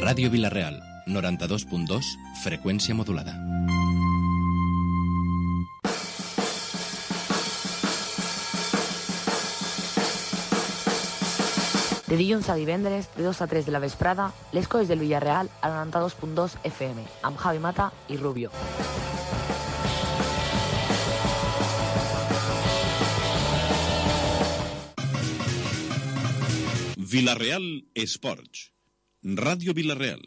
Ràdio Vila-real, 92.2, freqüència modulada. De dilluns a divendres, de 2 a 3 de la vesprada, les coses del Villarreal al 92.2 FM, amb Javi Mata i Rubio. Vila-real Esports. Ràdio Vila-real.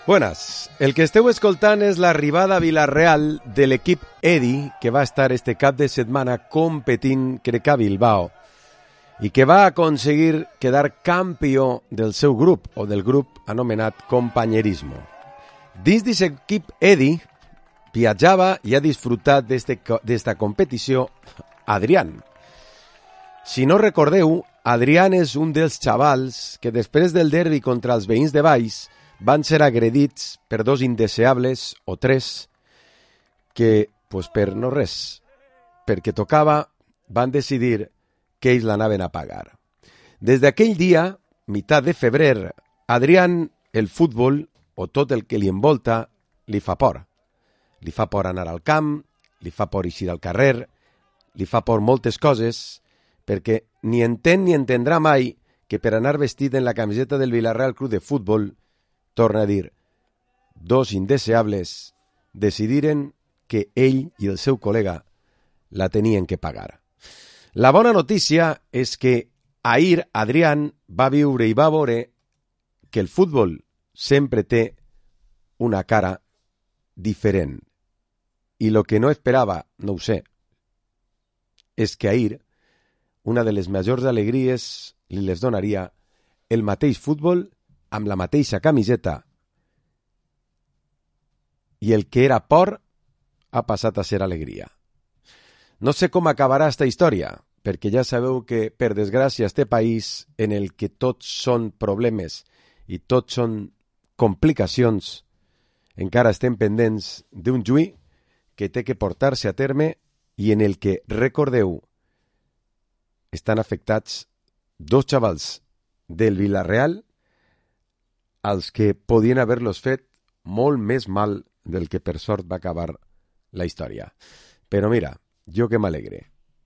Buenas, el que esteu escoltant és l'arribada a Vila-real de l'equip Edi, que va estar este cap de setmana competint, crec, a Bilbao, i que va aconseguir quedar campió del seu grup, o del grup anomenat Companyerismo. Dins d'aquest equip Edi viatjava i ha disfrutat d'esta competició Adrián. Si no recordeu, Adrián és un dels xavals que després del derbi contra els veïns de Valls van ser agredits per dos indeseables, o tres, que, pues per no res, perquè tocava, van decidir que ells l'anaven a pagar. Des d'aquell dia, meitat de febrer, Adrián, el futbol, o tot el que li envolta, li fa por. Li fa por anar al camp, li fa por eixir al carrer, li fa por moltes coses, perquè ni entén ni entendrà mai que per anar vestit en la camiseta del Villarreal Club de Futbol, torna a dir, dos indeseables decidiren que ell i el seu col·lega la tenien que pagar. La bona notícia és que ahir Adrián va viure i va veure que el futbol sempre té una cara diferent. I lo que no esperava, no ho sé, és que ahir una de les majors alegries li les donaria el mateix futbol amb la mateixa camiseta, i el que era por ha passat a ser alegria. No sé com acabarà esta història, perquè ja sabeu que, per desgràcia, este país en el que tots són problemes i tots són complicacions, encara estem pendents d'un juí que té que portar-se a terme i en el que, recordeu, estan afectats dos xavals del Villarreal als que podien haver-los fet molt més mal del que per sort va acabar la història. Però mira, jo que m'alegre.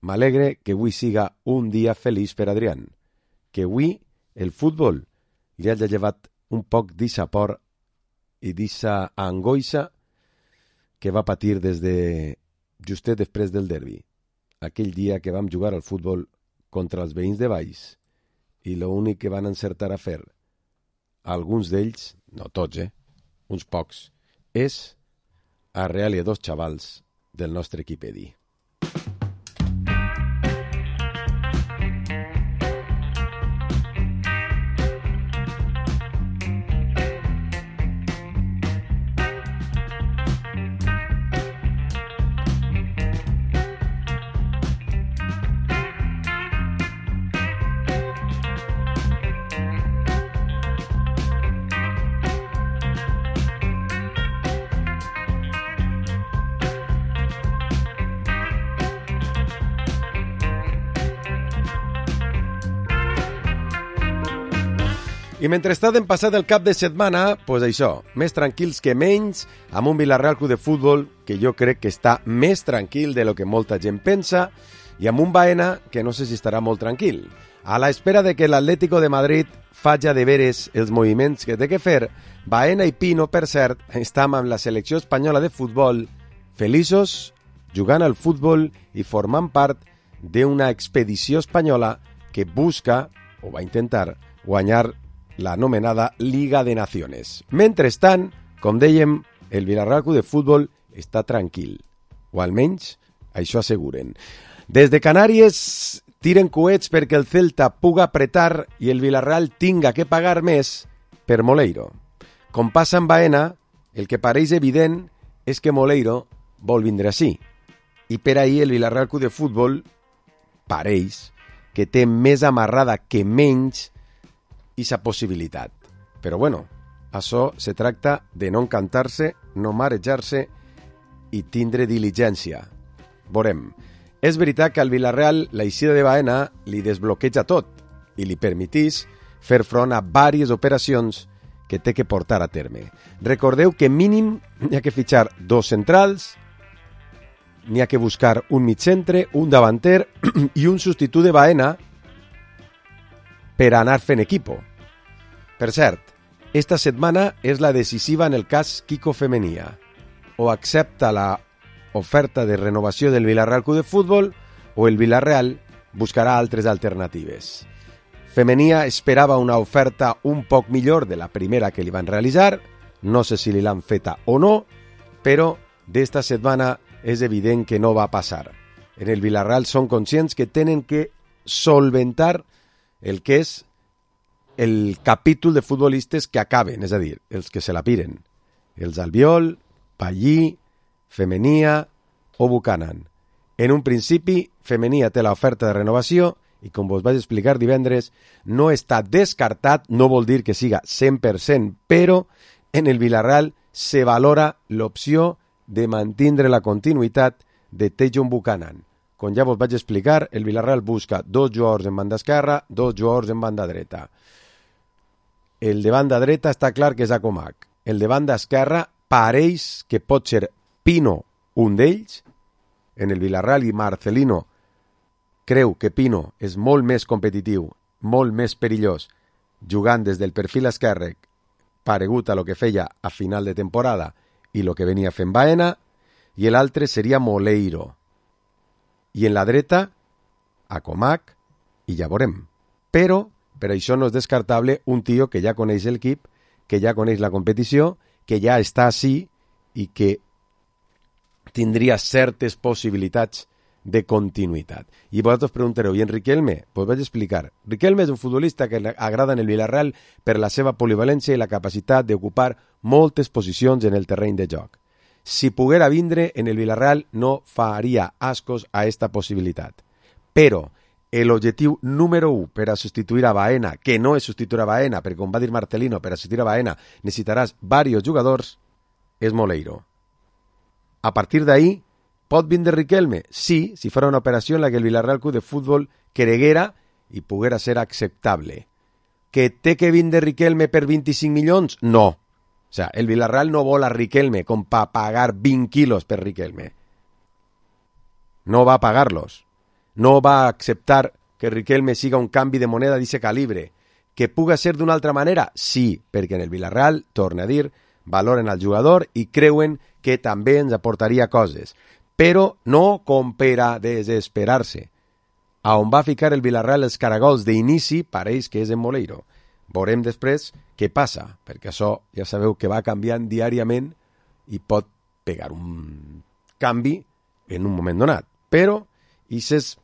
M'alegre que avui siga un dia feliç per Adrián. Que avui el futbol li hagi llevat un poc d'eixa por i d'eixa angoixa que va patir des de justet després del derbi. Aquell dia que vam jugar al futbol contra els veïns de Valls i l'únic que van encertar a fer alguns d'ells, no tots, uns pocs, és arrear-li a dos xavals del nostre equip Edi. I mentrestant hem passat el cap de setmana, pues això, més tranquils que menys, amb un Villarreal Club de Futbol que jo crec que està més tranquil de lo que molta gent pensa, i amb un Baena que no sé si estarà molt tranquil. A l'espera de que l'Atlético de Madrid faci de veres els moviments que té que fer, Baena i Pino, per cert, estan amb la selecció espanyola de futbol feliços, jugant al futbol i formant part d'una expedició espanyola que busca, o va intentar, guanyar la anomenada Liga de Naciones. Mentrestant, com dèiem, el Villarreal Club de Futbol està tranquil, o almenys això asseguren. Des de Canàries tiren coets perquè el Celta puga apretar i el Villarreal tinga que pagar més per Moleiro. Com passa amb Baena, el que pareix evident és que Moleiro vol vindre així. I per ahir el Villarreal Club de Futbol pareix que té més amarrada que menys aquesta possibilitat. Però bueno, això se tracta de no encantar-se, no marejar-se i tindre diligència. Veurem. És veritat que al Villarreal la eixida de Baena li desbloqueja tot i li permetís fer front a diverses operacions que té que portar a terme. Recordeu que mínim n'hi ha que fitxar 2 centrals, n'hi ha que buscar un migcentre, un davanter i un substitut de Baena per anar fent equipo. Per cert, esta setmana és la decisiva en el cas Kiko Femenia. O accepta la oferta de renovació del Villarreal Club de Futbol o el Villarreal buscarà altres alternatives. Femenia esperava una oferta un poc millor de la primera que li van realitzar, no sé si li l'han feta o no, però d'esta setmana és evident que no va passar. En el Villarreal són conscients que tenen que solventar el que és el capítol de futbolistes que acaben, és a dir, els que se la piren. Els Albiol, Pallí, Femenia o Buchanan. En un principi, Femenia té l'oferta de renovació i, com vos vaig explicar divendres, no està descartat, no vol dir que siga 100%, però en el Villarreal se valora l'opció de mantindre la continuïtat de Tejon Buchanan. Com ja vos vaig explicar, el Villarreal busca 2 jugadors en banda esquerra, 2 jugadors en banda dreta. El de banda dreta està clar que és Acomac. El de banda esquerra pareix que pot ser Pino un d'ells. En el Villarreal i Marcelino creu que Pino és molt més competitiu, molt més perillós, jugant des del perfil esquerre, paregut a lo que feia a final de temporada i lo que venia fent Baena, i l'altre seria Moleiro. I en la dreta, Acomac, i ja veurem. Però, per això no és descartable un tio que ja coneix l'equip, que ja coneix la competició, que ja està així i que tindria certes possibilitats de continuïtat. I vosaltres preguntareu, i en Riquelme? Pues vaig explicar. Riquelme és un futbolista que agrada en el Villarreal per la seva polivalència i la capacitat d'ocupar moltes posicions en el terreny de joc. Si poguera vindre en el Villarreal no faria ascos a esta possibilitat. Però l'objectiu número 1 per a substituir a Baena, que no és substituir a Baena, perquè com va dir Marcelino, per a substituir a Baena necessitaràs diversos jugadors, és Moleiro. A partir d'ahí, pot vindre Riquelme? Sí, si farà una operació en la que el Villarreal Club de Futbol creguera i poguera ser acceptable. Que té que vindre Riquelme per 25 milions? No. O sea, el Villarreal no vol a Riquelme com per pagar 20 quilos per Riquelme. No va a pagar-los. No va a acceptar que Riquelme siga un canvi de moneda d'aquest calibre. Que puga ser d'una altra manera? Sí, perquè en el Villarreal, torna a dir, valoren al jugador i creuen que també ens aportaria coses. Però no com per a desesperar-se. A on va ficar el Villarreal els caragols d'inici pareix que és en Moleiro. Veurem després què passa, perquè això ja sabeu que va canviant diàriament i pot pegar un canvi en un moment donat. Però això és,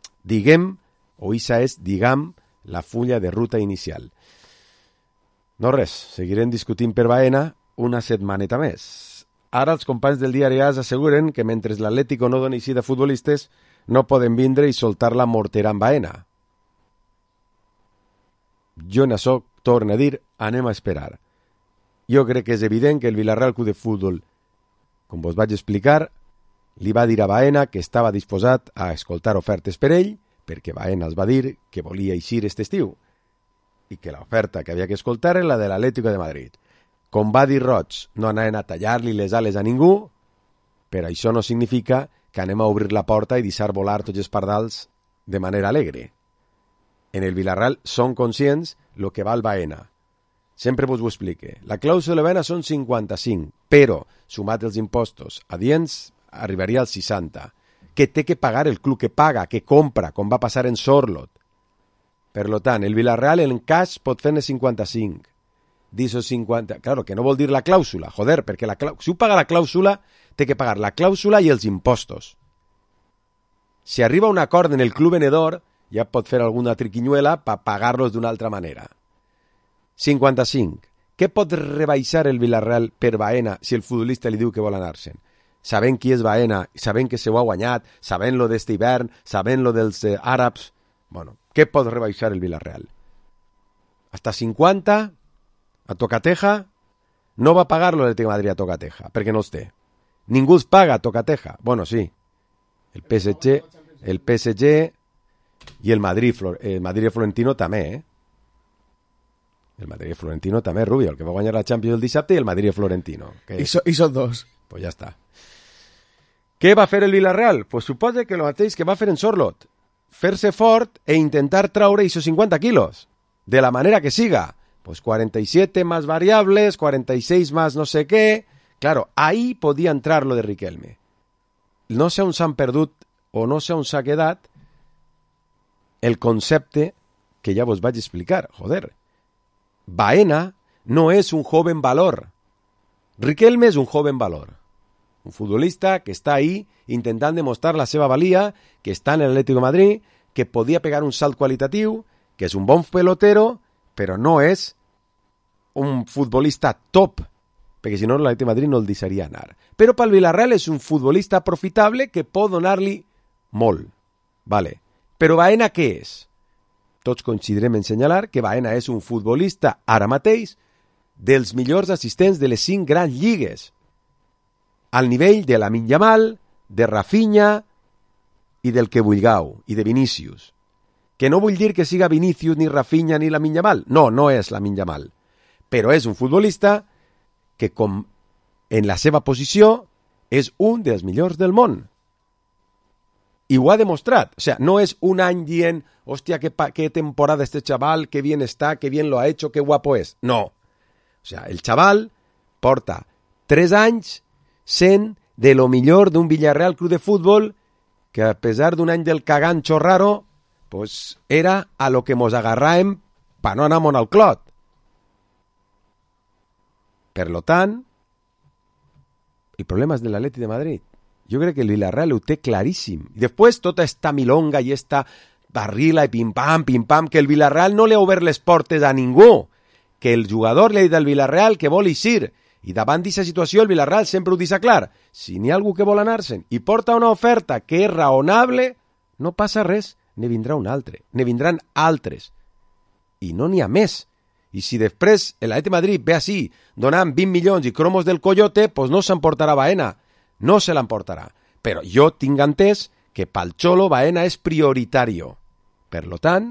diguem, la fulla de ruta inicial. No res, seguirem discutint per Baena una setmaneta més. Ara els companys del diari AS asseguren que mentre l'Atlético no doni eixida de futbolistes no poden vindre i soltar la mortera en Baena. Jo en això torno a dir, anem a esperar. Jo crec que és evident que el Villarreal Club de Futbol, com vos vaig explicar, li va dir a Baena que estava disposat a escoltar ofertes per ell, perquè Baena els va dir que volia eixir aquest estiu, i que l'oferta que havia que escoltar era la de l'Atlético de Madrid. Com va dir Roig, no anaven a tallar-li les ales a ningú, però això no significa que anem a obrir la porta i deixar volar tots els pardals de manera alegre. En el Villarreal són conscients lo que val Baena. Sempre vos ho explique. La clàusula de Baena són 55, però, sumat els impostos adients, arribaria als 60, que té que pagar el club que paga, que compra, com va passar en Sorlot. Per tant, el Villarreal en cash pot fer-ne 55. D'esos 50, claro, que no vol dir la clàusula, joder, perquè si ho paga la clàusula, té que pagar la clàusula i els impostos. Si arriba a un acord en el club venedor, ja pot fer alguna triquinyuela per pagar-los d'una altra manera. 55. què pot rebaixar el Villarreal per Baena si el futbolista li diu que vol anar-se'n? Sabent qui és Baena, sabent que se ho ha guanyat, sabent lo d'este hivern, sabent lo dels àrabs... Bueno, què pot rebaixar el Villarreal? Hasta 50, a tocateja, no va pagar-lo l'Atlético de Madrid a tocateja, perquè no els té. Ningú els paga a tocateja. Bueno, sí, el PSG i el Madrid Florentino també, El Madrid Florentino també, Rubio, el que va guanyar la Champions el dissabte, i el Madrid Florentino. Que... I són dos. Pues ja està. Què va fer el Villarreal? Pues suposa que el mateix que va fer en Sorlot. Fer-se fort e intentar traure esos 50 quilos. De la manera que siga. Pues 47 más variables, 46 más no sé qué. Claro, ahí podía entrar lo de Riquelme. No sé on s'han perdut o no sé on s'ha quedat el concepte que ja vos vaig explicar. Joder, Baena no es un joven valor. Riquelme es un joven valor. Un futbolista que está ahí intentant demostrar la seva valia, que està en el Atlético de Madrid, que podia pegar un salt qualitatiu, que és un bon pelotero, però no és un futbolista top, perquè si no l'Atlético de Madrid no el deixaria anar. Però pel Villarreal és un futbolista profitable que pot donar-li molt. Vale. Però Baena què és? Tots coincidirem en senyalar que Baena és un futbolista ara mateix dels millors assistents de les 5 grans lligues, al nivell de Lamine Yamal, de Rafinha i del que vulgueu, i de Vinícius. Que no vull dir que siga Vinícius, ni Rafinha, ni Lamine Yamal. No, no és Lamine Yamal. Però és un futbolista que, com en la seva posició, és un dels millors del món. I ho ha demostrat. O sea, no és un any dient, hòstia, qué temporada este chaval, qué bien está, qué bien lo ha hecho, qué guapo es. No. O sea, el chaval porta 3 anys sent de lo millor d'un Villarreal Club de Fútbol que, a pesar d'un any del cagancho raro, pues era a lo que mos agarràem pa no anar al clot. Per lo tant, el problema és de l'Atleti de Madrid. Jo crec que el Villarreal ho té claríssim. I després tota esta milonga i esta barrila i pim-pam, que el Villarreal no li ha obert les portes a ningú. Que el jugador li ha dit al Villarreal que vol eixir. I davant d'aquesta situació el Villarreal sempre ho deixa clar. Si n'hi ha algú que vol anar-se'n i porta una oferta que és raonable, no passa res, ne vindrà un altre. Ne vindran altres. I no n'hi ha més. I si després l'Atleti de Madrid ve així, donant 20 milions i cromos del coyote, pues no s'emportarà Baena. No se l'emportarà. Però jo tinc entès que pel Xolo Baena és prioritari. Per lo tant,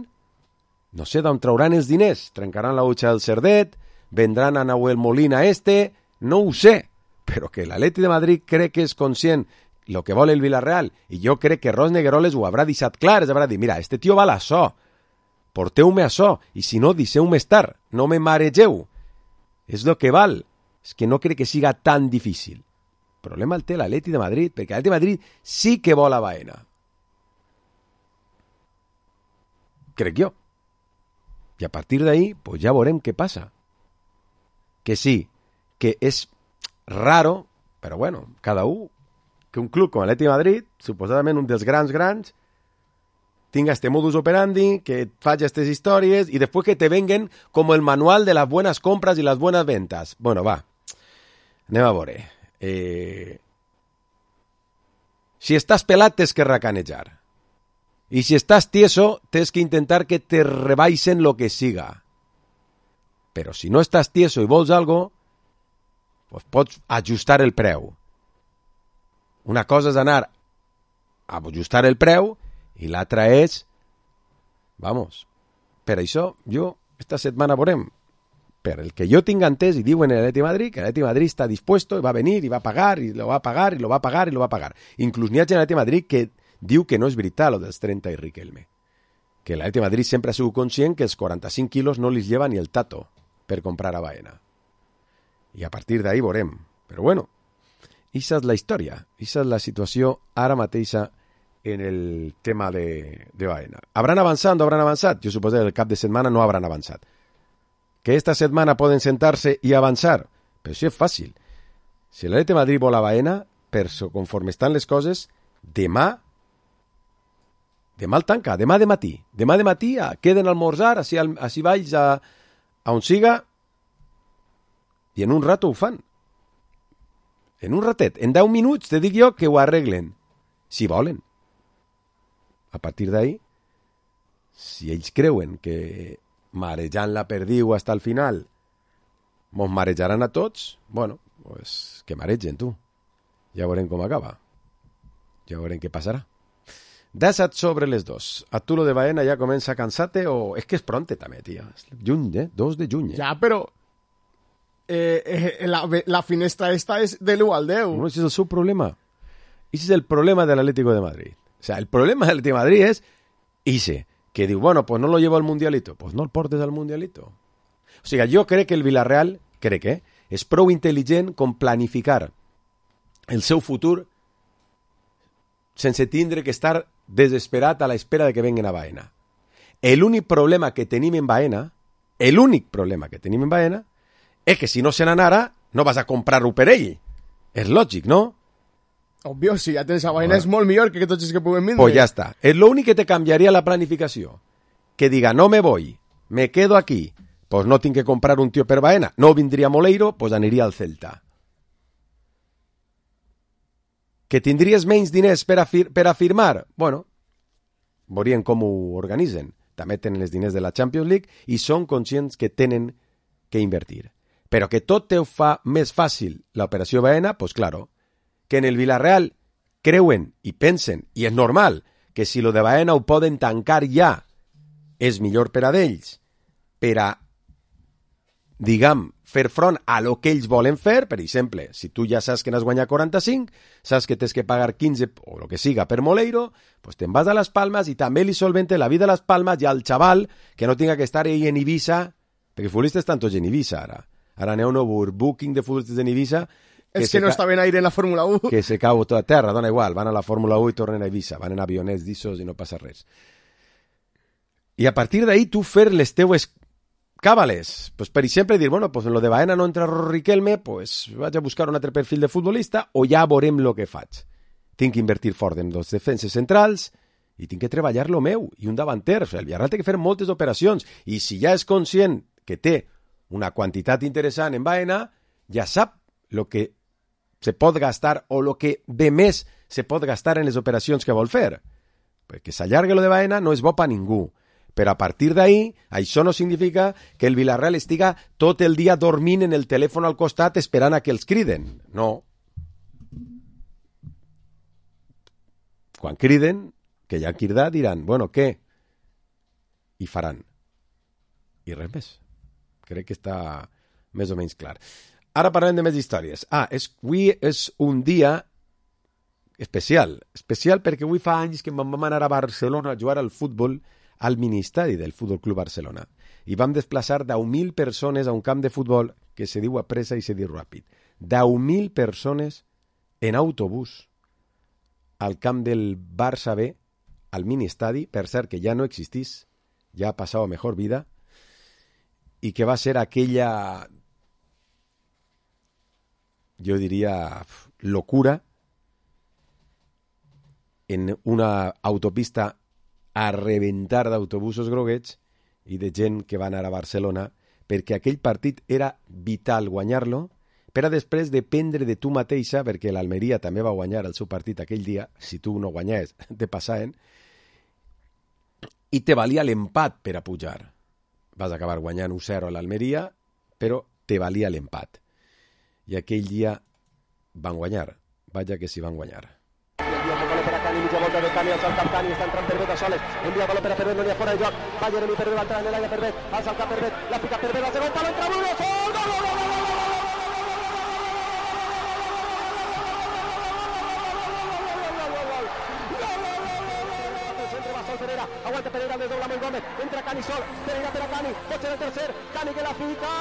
no sé d'on trauran els diners. Trencaran la utxa del Cerdet, vendran a Nahuel Molina no ho sé. Però que l'Atleti de Madrid crec que és conscient el que vol el Villarreal, i jo crec que Ros Negueroles ho haurà deixat clar, es haurà dit, mira, este tio val això, porteu-me això, i si no, deixeu-me estar, no me maregeu. És el que val. És que no crec que siga tan difícil. El problema el té l'Atleti de Madrid, perquè l'Atleti de Madrid sí que vol a Baena. Crec jo. I a partir d'ahí, pues ja veurem què passa. Que sí, que és raro, però bueno, cada un, que un club com l'Atleti de Madrid, suposadament un dels grans, tinga este modus operandi, que faci aquestes històries i després que te venguen com el manual de les buenas compras i les buenas ventas. Bueno, va, anem a veure. Si estàs pelat tens que racanejar i si estàs tieso tens que intentar que te rebaixen lo que siga, però si no estàs tieso i vols algo, pues pots ajustar el preu. Una cosa és anar a ajustar el preu i l'altra és, vamos, per això jo esta setmana veurem. Per el que jo tinc entès, i diuen en l'Atleti de Madrid, que l'Atleti de Madrid està dispuesto, i va venir, i va pagar, i lo va pagar, i lo va pagar, i lo va pagar. Inclús n'hi ha gent a l'Atleti de Madrid que diu que no és veritat lo dels 30 i Riquelme. Que l'Atleti de Madrid sempre ha sigut conscient que els 45 quilos no li lleva ni el tato per comprar a Baena. I a partir d'ahí veurem. Però bueno, aquesta és la història, aquesta és la situació ara mateixa en el tema de Baena. ¿Habrán avançat o no habrán avançat? Jo suposo que el cap de setmana no habrán avançat. Que esta setmana poden sentar-se i avançar? Però això és fàcil. Si l'Atleti de Madrid vol a Baena, per conforme estan les coses, demà el tanca, demà de matí, queden a almorzar, així vaig a on siga, I en un rato ho fan. En un ratet. En 10 minuts te dic jo que ho arreglen. Si volen. A partir d'ahí, si ells creuen que marejant la perdiu hasta el final mos marejaran a tots, bueno, pues que maregen, tu. Ja veurem com acaba. Ja veurem què passarà. 17 sobre les 2. A tu lo de Baena ja comença a cansar-te o... És que és pronte també, tia. Juny, 2 de juny. Ja, però... la finestra esta és de l'1 al 10. No, ese és el seu problema. Ese és el problema del Atlético de Madrid. O sea, el problema del Atlético de Madrid es ese, que diu, bueno, pues no lo llevo al Mundialito. Pues no el portes al Mundialito. O sigui, jo crec que el Villarreal, és prou intel·ligent com planificar el seu futur sense tindre que estar desesperat a la espera de que venguen a Baena. L'únic problema que tenim en Baena, és que si no se n'anara, no vas a comprar-ho per ell. És lògic, no? Obvio, si ja tens a Baena és molt millor que tots els que puguem vindre. Pues ja està. És l'únic que te canviaria la planificació. Que diga, no me voy, me quedo aquí, pues no tinc que comprar un tio per Baena. No vindria Moleiro, pues aniria al Celta. Que tindries menys diners per a firmar? Bueno, veurien com ho organitzen. També tenen els diners de la Champions League i són conscients que tenen que invertir. Però que tot te ho fa més fàcil l'operació Baena, pues claro, que en el Villarreal creuen i pensen, i és normal, que si lo de Baena ho poden tancar ja, és millor per a d'ells, per a, diguem, fer front a lo que ells volen fer. Per exemple, si tu ja saps que n'has guanyat 45, saps que tens que pagar 15 o lo que siga per Moleiro, pues te'n vas a Las Palmas i també li solvente la vida a Las Palmas i al xaval que no tinga que estar ahí en Ibiza, perquè futbolistes estan tots en Ibiza ara. Ara n'hi ha un overbooking de futbolistes en Ibiza. És que no està ben aire en la Fórmula 1. Que se cau tota terra, dona igual, van a la Fórmula 1 i tornen a Ibiza, van en avionets d'issos i no passa res. I a partir d'ahí tu fer les teues càbales, pues per exemple dir, bueno, pues en lo de Baena no entra Riquelme, pues vaig a buscar un altre perfil de futbolista o ja veurem lo que faig. Tinc que invertir fort en els defenses centrals i tinc que treballar lo meu i un davanter. O sigui, el Villarreal té que fer moltes operacions i si ja és conscient que té una quantitat interessant en Baena, ja sap lo que se pot gastar o lo que de més se pot gastar en les operacions que vol fer. Perquè s'allargue lo de Baena no és bo per ningú. Però a partir d'ahí, això no significa que el Villarreal estiga tot el dia dormint en el telèfon al costat esperant a que els criden. No. Quan criden, que ja han cridat, diran, bueno, què? I faran. I res més. Crec que està més o menys clar. Ara parlem de més històries. Avui és un dia especial. Especial perquè avui fa anys que vam anar a Barcelona a jugar al futbol al ministeri del Futbol Club Barcelona. I vam desplaçar 10.000 persones a un camp de futbol que se diu a pressa i se diu ràpid. 10.000 persones en autobús al camp del Barça B, al ministeri, per cert que ja no existís, ja ha passat a mejor vida, i que va ser aquella, jo diria, locura en una autopista a reventar d'autobusos groguets i de gent que va anar a Barcelona, perquè aquell partit era vital guanyar-lo, per a després dependre de tu mateixa, perquè l'Almeria també va guanyar el seu partit aquell dia, si tu no guanyaves, te passaven, i te valia l'empat per a pujar. Vas acabar guanyant 1-0 a l'Almeria, però te valia l'empat. I aquell dia van guanyar. Vaja que s'hi van guanyar. Cani, mitja volta de Cani, alça el cap Cani, està entrant Pervet a soles, envia baló per a Pervet, no n'hi ha fora de joc, va Jeremy Pervet, va entrar en l'aire Pervet, alça el cap Pervet, la pica Pervet, al segon pal, entra Bruno, sol, gol, gol, gol, gol, gol, Pereira, aguanta Pereira, el desdobla molt Gómez, entra Cani sol, Pereira per a Cani, pot ser el tercer, Cani que la fica,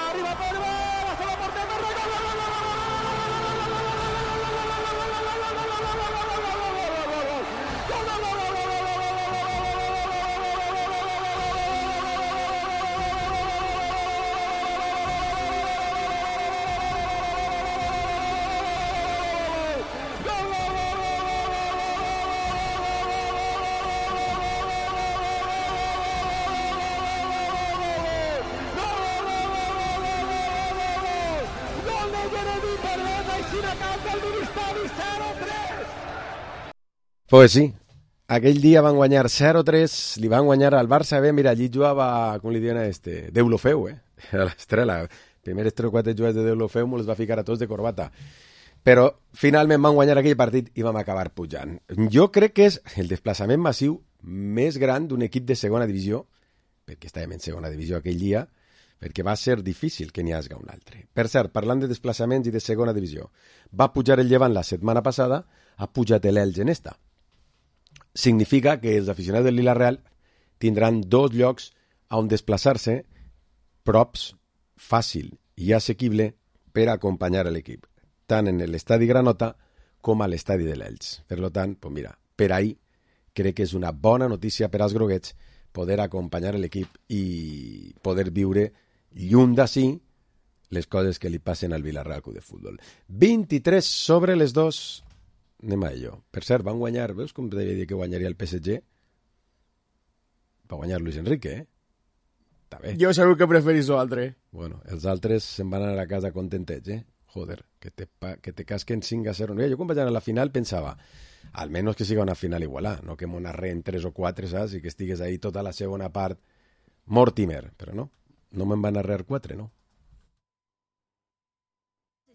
arriba Pervet, la seva porter, gol, gol, gol, gol, gol, Perdona i si n'acaba el Ministeri 0-3. Pues sí, aquell dia van guanyar 0-3, li van guanyar al Barça B, mira, allí jugava, com li diuen a Deulofeu, a l'estrela. Primers 3 o 4 jugats de Deulofeu me'ls va ficar a tots de corbata. Però finalment van guanyar aquell partit i vam acabar pujant. Jo crec que és el desplaçament massiu més gran d'un equip de segona divisió, perquè estàvem en segona divisió aquell dia, perquè va ser difícil que n'hi hagi un altre. Per cert, parlant de desplaçaments i de segona divisió, va pujar el Llevant la setmana passada, ha pujat l'Elx en esta. Significa que els aficionats del Vila-real tindran 2 llocs on desplaçar-se props, fàcil i assequible per acompanyar l'equip, tant en l'estadi Granota com a l'estadi de l'Elx. Per tant, pues mira, per ahí crec que és una bona notícia per als groguets poder acompanyar l'equip i poder viure lluny d'ací les coses que li passen al Vila-real Club de Futbol. 23-2, anem a ello. Per cert, van guanyar, veus com devia dir que guanyaria el PSG? Va guanyar Luis Enrique, Està bé. Jo segur que preferís l'altre. Bueno, els altres se'n van anar a casa contentets, Joder, que te casquen 5-0. Jo quan vaig anar a la final pensava, almenys que siga una final igualada, no que m'ho narren 3 o 4, saps? I que estigues ahí tota la segona part Mortimer, però no me'n van narrar 4, no?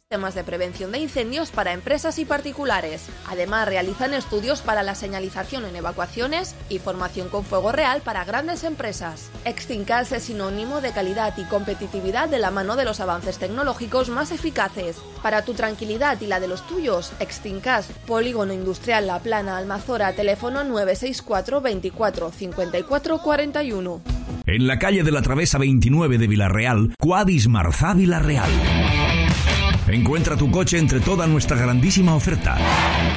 Sistemas de prevención de incendios para empresas y particulares. Además, realizan estudios para la señalización en evacuaciones y formación con fuego real para grandes empresas. Extincas es sinónimo de calidad y competitividad de la mano de los avances tecnológicos más eficaces. Para tu tranquilidad y la de los tuyos, Extincas, Polígono Industrial La Plana, Almazora, teléfono 964 24 54 41. En la calle de la Travesa 29 de Vila-real, Quadis Marzà Vila-real. Encuentra tu coche entre toda nuestra grandísima oferta.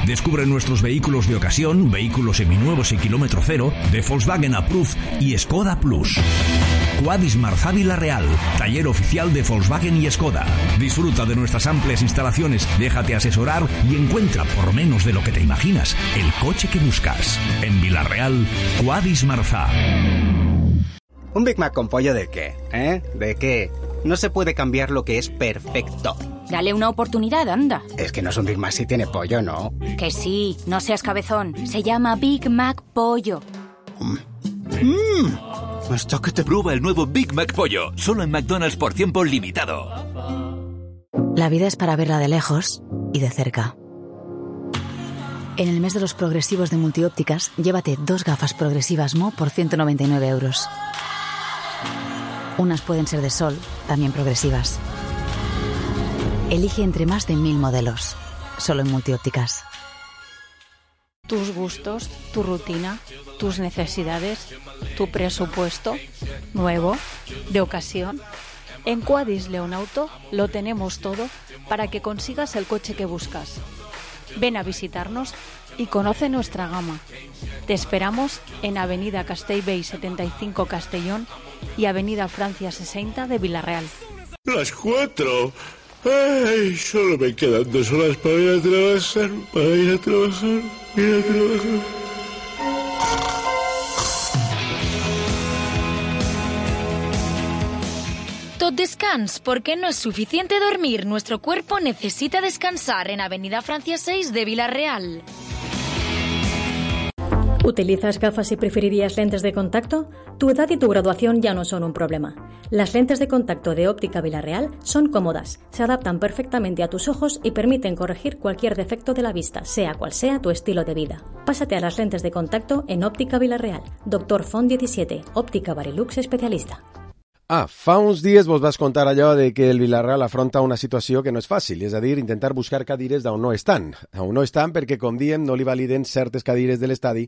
Descubre nuestros vehículos de ocasión, vehículos seminuevos y kilómetro cero, de Volkswagen Approved y Skoda Plus. Quadis Marzà Vila-real, taller oficial de Volkswagen y Skoda. Disfruta de nuestras amplias instalaciones, déjate asesorar y encuentra, por menos de lo que te imaginas, el coche que buscas. En Vila-real, Quadis Marzà. ¿Un Big Mac con pollo de qué? ¿De qué? No se puede cambiar lo que es perfecto. Dale una oportunidad, anda. Es que no es un Big Mac si tiene pollo, ¿no? Que sí, no seas cabezón. Se llama Big Mac Pollo. Hasta que te... Prueba el nuevo Big Mac Pollo, solo en McDonald's por tiempo limitado. La vida es para verla de lejos y de cerca. En el mes de los progresivos de Multiópticas, llévate 2 gafas progresivas Mo por 199 euros. Unas pueden ser de sol, también progresivas. Elige entre más de 1000 modelos, solo en Multiópticas. Tus gustos, tu rutina, tus necesidades, tu presupuesto, nuevo, de ocasión. En Quadis Leonauto lo tenemos todo para que consigas el coche que buscas. Ven a visitarnos y conoce nuestra gama. Te esperamos en Avenida Castellbell 75 Castellón y Avenida Francia 60 de Vila-real. Las 4. Ay, solo me quedan 2 horas para ir a trabajar. Tot descans, porque no es suficiente dormir. Nuestro cuerpo necesita descansar en Avenida Francia 6 de Vila-real. ¿Utilizas gafas y preferirías lentes de contacto? Tu edad y tu graduación ya no son un problema. Las lentes de contacto de Óptica Vila-real son cómodas, se adaptan perfectamente a tus ojos y permiten corregir cualquier defecto de la vista, sea cual sea tu estilo de vida. Pásate a las lentes de contacto en Óptica Vila-real. Dr. Font 17, Óptica Barilux especialista. Fa uns dies vos vas contar allò de que el Vila-real afronta una situació que no és fàcil, és a dir, intentar buscar cadires d'on no estan. On no estan perquè, com diem, no li validen certes cadires de l'estadi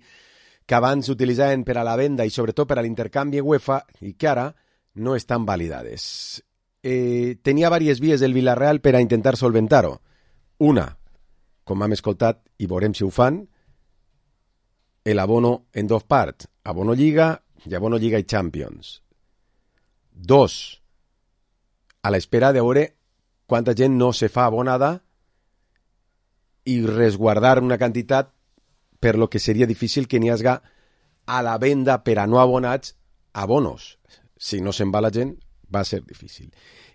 que abans s'utilitzaven per a la venda i sobretot per a l'intercanvi UEFA i que ara no estan validades. Tenia diverses vies el Vila-real per a intentar solventar-ho. Una, com hem escoltat i veurem si ho fan, l'abono en 2 parts, abono Lliga i abono Lliga i Champions. 2, a l'espera de veure quanta gent no se fa abonada i resguardar una quantitat per lo que seria difícil que n'hi hagi a la venda per a no abonats abonos. Si no se'n va la gent, va ser difícil.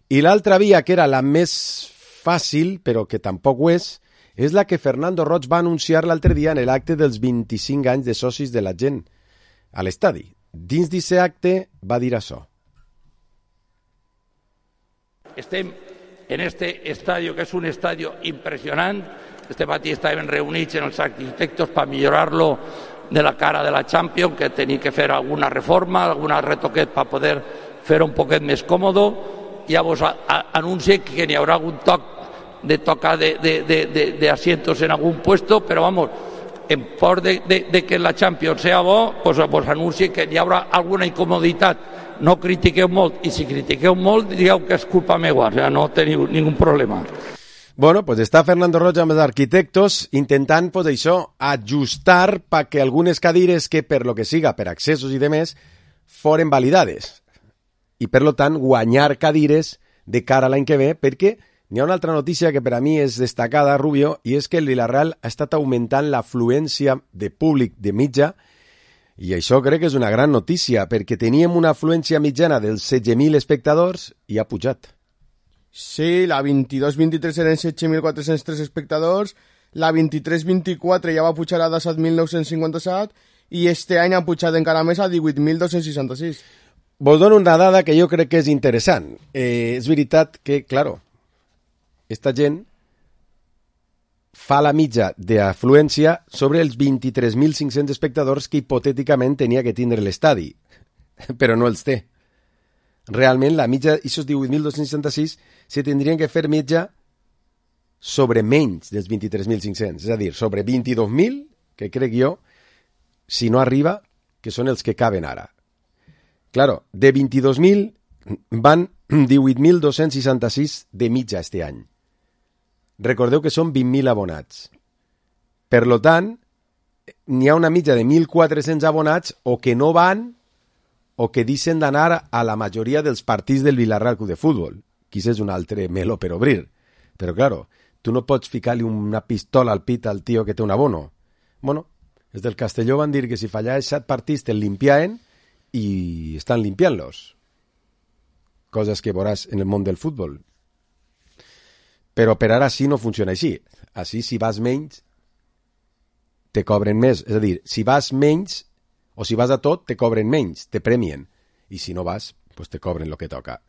I l'altra via, que era la més fàcil, però que tampoc ho és la que Fernando Roig va anunciar l'altre dia en l'acte dels 25 anys de socis de la gent a l'estadi. Dins d'aquest acte va dir això. Estem en este estadio, que és un estadio impressionant. Este matí estàvem reunits en els arquitectos per millorar-lo de la cara de la Champions, que tenia que fer alguna reforma, alguna retoquet per poder fer un poquet més còmode. Llavors anuncie que n'hi haurà algun toc de tocar de asientos en algun puesto, però vamos, en por de que la Champions sea bo, pues anuncie que hi haurà alguna incomoditat. No critiqueu molt, i si critiqueu molt digueu que és culpa meva, o sea, no teniu ningú problema. Bueno, pues està Fernando Roig amb els arquitectos intentant, pues això, ajustar perquè algunes cadires que per lo que siga, per accessos i demés, foren validades. I per lo tant guanyar cadires de cara a l'any que ve, perquè n'hi ha una altra notícia que per a mi és destacada, Rubio, i és que el Villarreal ha estat augmentant l'afluència de públic de mitja, i això crec que és una gran notícia, perquè teníem una afluència mitjana dels 16.000 espectadors i ha pujat. Sí, la 22-23 eren 7.403 espectadors, la 23-24 ja va pujar a 17.957 i este any ha pujat encara més a 18.266. Vos dono una dada que jo crec que és interessant. És veritat que, claro, esta gent fa la mitja d'afluència sobre els 23.500 espectadors que hipotèticament tenia que tindre l'estadi, però no els té. Realment, la mitja, aquests 18.266, se tindrien que fer mitja sobre menys dels 23.500, és a dir, sobre 22.000, que crec jo, si no arriba, que són els que caben ara. Claro, de 22.000 van 18.266 de mitja este any. Recordeu que són 20.000 abonats. Per lo tant, n'hi ha una mitja de 1.400 abonats o que no van o que deixen d'anar a la majoria dels partits del Villarreal Club de Futbol. Quizás és un altre meló per obrir. Però, claro, tu no pots ficar-li una pistola al pit al tio que té un abono. Bueno, els del Castelló van dir que si fallaves 7 partits te'l limpiaven i estan limpiant-los. Coses que veuràs en el món del futbol. Però per ara sí no funciona així. Així, si vas menys, te cobren més. És a dir, si vas menys o si vas a tot, te cobren menys, te premien. I si no vas, pues te cobren lo que toca.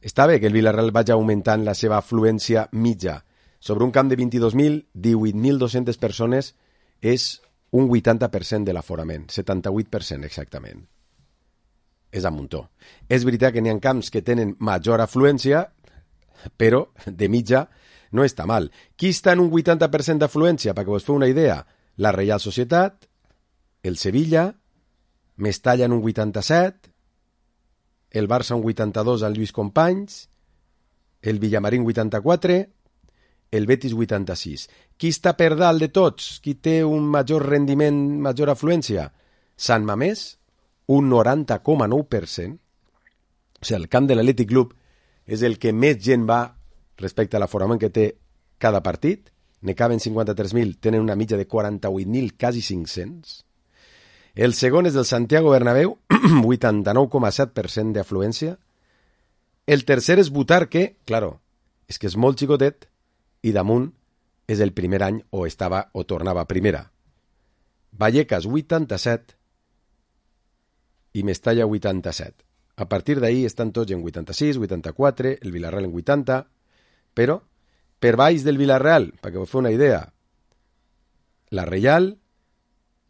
Està bé que el Villarreal vagi augmentant la seva afluència mitja. Sobre un camp de 22.000, 18.200 persones és un 80% de l'aforament, 78% exactament. És a muntó. És veritat que n'hi ha camps que tenen major afluència, però de mitja no està mal. Qui està en un 80% d'afluència? Perquè vos feu una idea, la Reial Societat, el Sevilla, Mestalla en un 87, el Barça un 82 al Lluís Companys, el Villamarín 84, el Betis 86. Qui està per dalt de tots? Qui té un major rendiment, major afluència? Sant Mamés, un 90,9%. O sigui, el camp de l'Atlètic Club és el que més gent va respecte a l'aforament que té cada partit. Ne caben 53.000, tenen una mitja de 48.000, quasi 500. El segon és del Santiago Bernabéu, 89,7% d'afluència. El tercer és Butarque, claro, és que és molt xicotet, i damunt és el primer any o estava o tornava a primera. Vallecas, 87, i Mestalla, 87. A partir d'ahí estan tots en 86, 84, el Villarreal en 80, però per baix del Villarreal, perquè vos feu una idea, la Reial,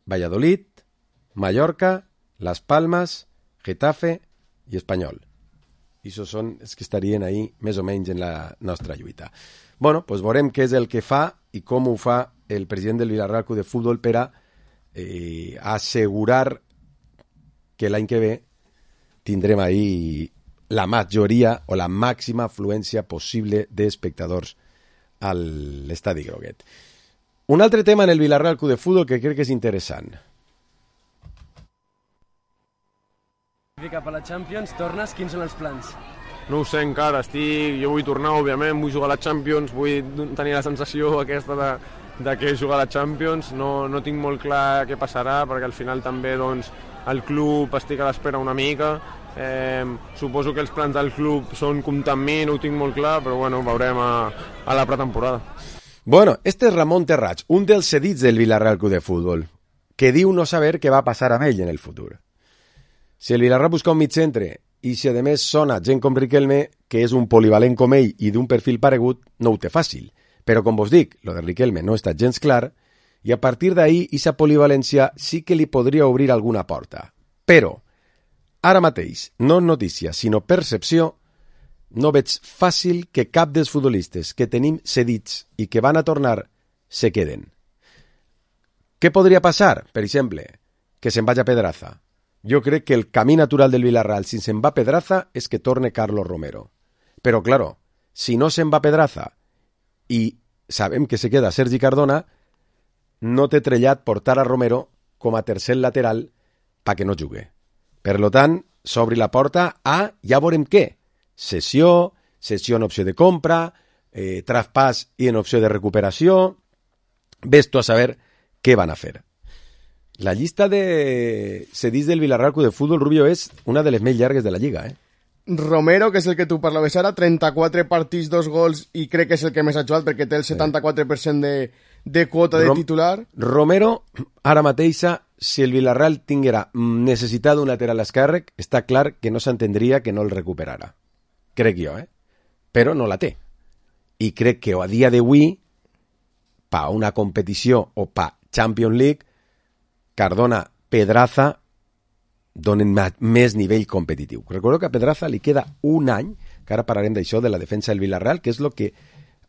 Valladolid, Mallorca, Las Palmas, Getafe i Espanyol. I això són els que estarien ahí més o menys en la nostra lluita. Bueno, doncs veurem què és el que fa i com ho fa el president del Villarreal Club de Futbol per a assegurar que l'any que ve tindrem ahí la majoria o la màxima afluència possible d'espectadors a l'estadi groguet. Un altre tema en el Villarreal Club de Futbol que crec que és interessant. Cap a la Champions, tornes, quins són els plans? No ho sé encara, jo vull tornar, òbviament, vull jugar a la Champions, vull tenir la sensació aquesta de que jugar a la Champions, no tinc molt clar què passarà, perquè al final també doncs, el club estic a l'espera una mica, Suposo que els plans del club són comptar amb mi, no ho tinc molt clar, però bueno, veurem a la pretemporada. Bueno, este es Ramon Terrats, un dels cedits del Villarreal Club de Fútbol, que diu no saber què va passar amb ell en el futur. Si el Villarreal busca un mitcentre i si a més sona gent com Riquelme, que és un polivalent com ell i d'un perfil paregut, no ho té fàcil. Però com vos dic, lo de Riquelme no està gens clar i a partir d'ahí, esa polivalència sí que li podria obrir alguna porta. Però ara mateix, no notícia, sinó percepció, no veig fàcil que cap dels futbolistes que tenim cedits i que van a tornar se queden. Què podria passar? Per exemple, que se'n vagi a Pedraza. Jo crec que el camí natural del Villarreal, si se'n va a Pedraza, és que torne Carlos Romero. Però, claro, si no se'n va a Pedraza i sabem que se queda Sergi Cardona, no té trellat portar a Romero com a tercer lateral perquè no jugui. Per tant, s'obri la porta a, ja veurem què, cessió en opció de compra, traspàs i en opció de recuperació, ves tu a saber què van a fer. La llista de cedits del Villarreal Club de Fútbol, Rubio, és una de les més llargues de la Lliga, Romero, que és el que tu parlaves ara, 34 partits, 2 gols, i crec que és el que més ha jugat perquè té el 74% de quota de titular. Romero, ara mateixa, si el Villarreal tinguera necessitat d'un lateral esquerre, està clar que no s'entendria que no el recuperara. Crec jo, Però no la té. I crec que a dia d'avui, pa una competició o pa Champions League, Cardona, Pedraza donen més nivell competitiu. Recordo que a Pedraza li queda un any, que ara parlarem d'això, de la defensa del Villarreal, que és el que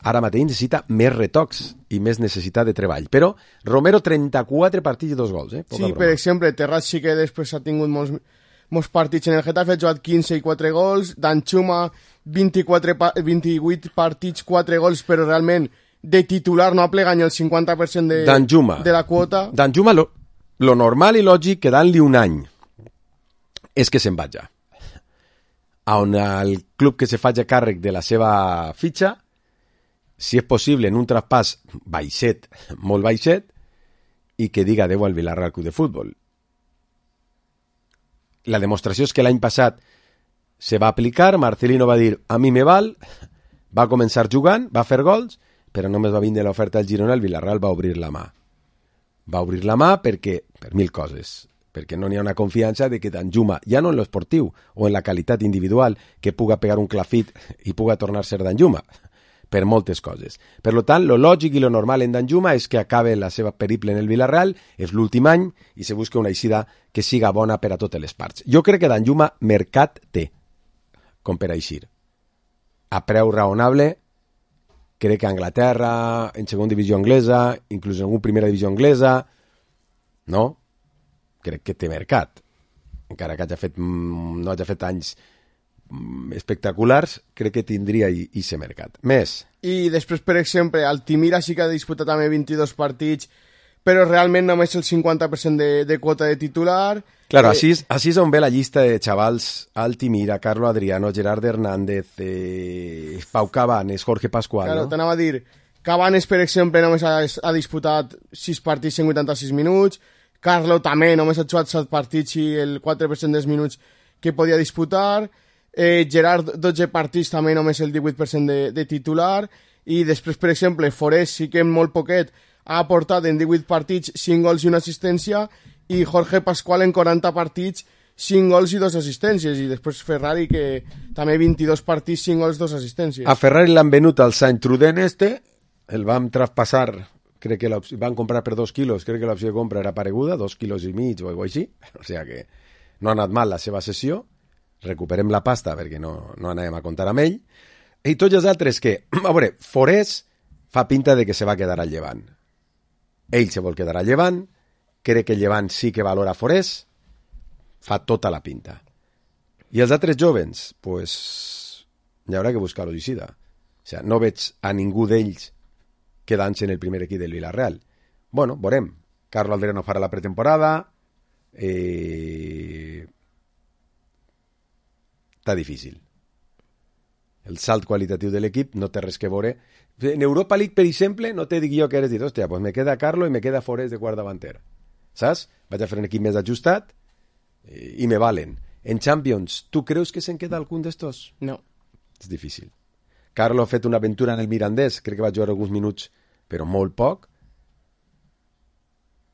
ara mateix necessita més retocs i més necessitat de treball. Però Romero, 34 partits i 2 gols. Sí, per exemple, Terrats sí que després ha tingut molts partits en el Getafe, ha jugat 15 i 4 gols, Danjuma 28 partits, 4 gols, però realment de titular no ha plegat ni el 50% de la quota. Danjuma, lo normal i lògic, quedant-li un any, és que se'n vaja. On el club que se faci càrrec de la seva fitxa, si és possible en un traspàs baixet, molt baixet, i que diga adeu al Villarreal Club de Futbol. La demostració és que l'any passat se va aplicar, Marcelino va dir a mi me val, va començar jugant, va fer gols, però només va vindre l'oferta al Girona, el Villarreal va obrir la mà. Va obrir la mà perquè, per 1000 coses, perquè no n'hi ha una confiança de que Danjuma, ja no en l'esportiu o en la qualitat individual, que puga pegar un clafit i puga tornar a ser Danjuma, per moltes coses. Per tant, lo lògic i lo normal en Danjuma és que acabe la seva periple en el Villarreal, és l'últim any, i se busca una eixida que siga bona per a totes les parts. Jo crec que Danjuma mercat té, com per eixir. A preu raonable, crec que a Anglaterra, en segona divisió anglesa, inclús en alguna primera divisió anglesa, no? Crec que té mercat. Encara que no hagi fet anys espectaculars, crec que tindria i ser mercat. Més. I després, per exemple, Altimira sí que ha disputat també 22 partits, però realment només el 50% de quota de titular. Claro, així és on ve la llista de xavals: Altimira, Carlo Adriano, Gerard Hernández, Pau Cabanes, Jorge Pascual. Claro, t'anava a dir, Cabanes, per exemple, només ha disputat 6 partits en 86 minuts, Carlo també només ha jugat 7 partits i el 4% dels minuts que podia disputar, Gerard 12 partits també només el 18% de titular, i després, per exemple, Forés sí que molt poquet ha aportat en 18 partits 5 gols i una assistència, i Jorge Pascual en 40 partits 5 gols i 2 assistències, i després Ferrari, que també 22 partits, 5 gols, 2 assistències. A Ferrari l'han venut al Sant Truden el vam traspassar, crec que van comprar per 2 quilos, crec que l'opció de compra era pareguda, 2 quilos i mig o alguna cosa així, o sigui que no ha anat mal la seva sessió, recuperem la pasta perquè no anàvem a comptar amb ell, i tots els altres que, a veure, Forés fa pinta de que se va quedar al Llevant. Ell se vol quedar al Llevant, crec que el Llevant sí que valora Forés, fa tota la pinta. I els altres jovens, pues, hi haurà que buscar l'Odicida. O sigui, no veig a ningú d'ells quedant-se en el primer equip del Villarreal. Bueno, veurem. Carlo Alderano farà la pretemporada. Està difícil. El salt qualitatiu de l'equip no té res que veure. En Europa League, per exemple, no te dic jo que eres dir, hòstia, pues me queda Carlo i me queda Forés de quart davanter. Saps? Vaig a fer un equip més ajustat i me valen. En Champions, ¿tú crees que se'n queda algun d'estos? No. És difícil. Carlo ha fet una aventura en el Mirandés, crec que va jugar alguns minuts, però molt poc.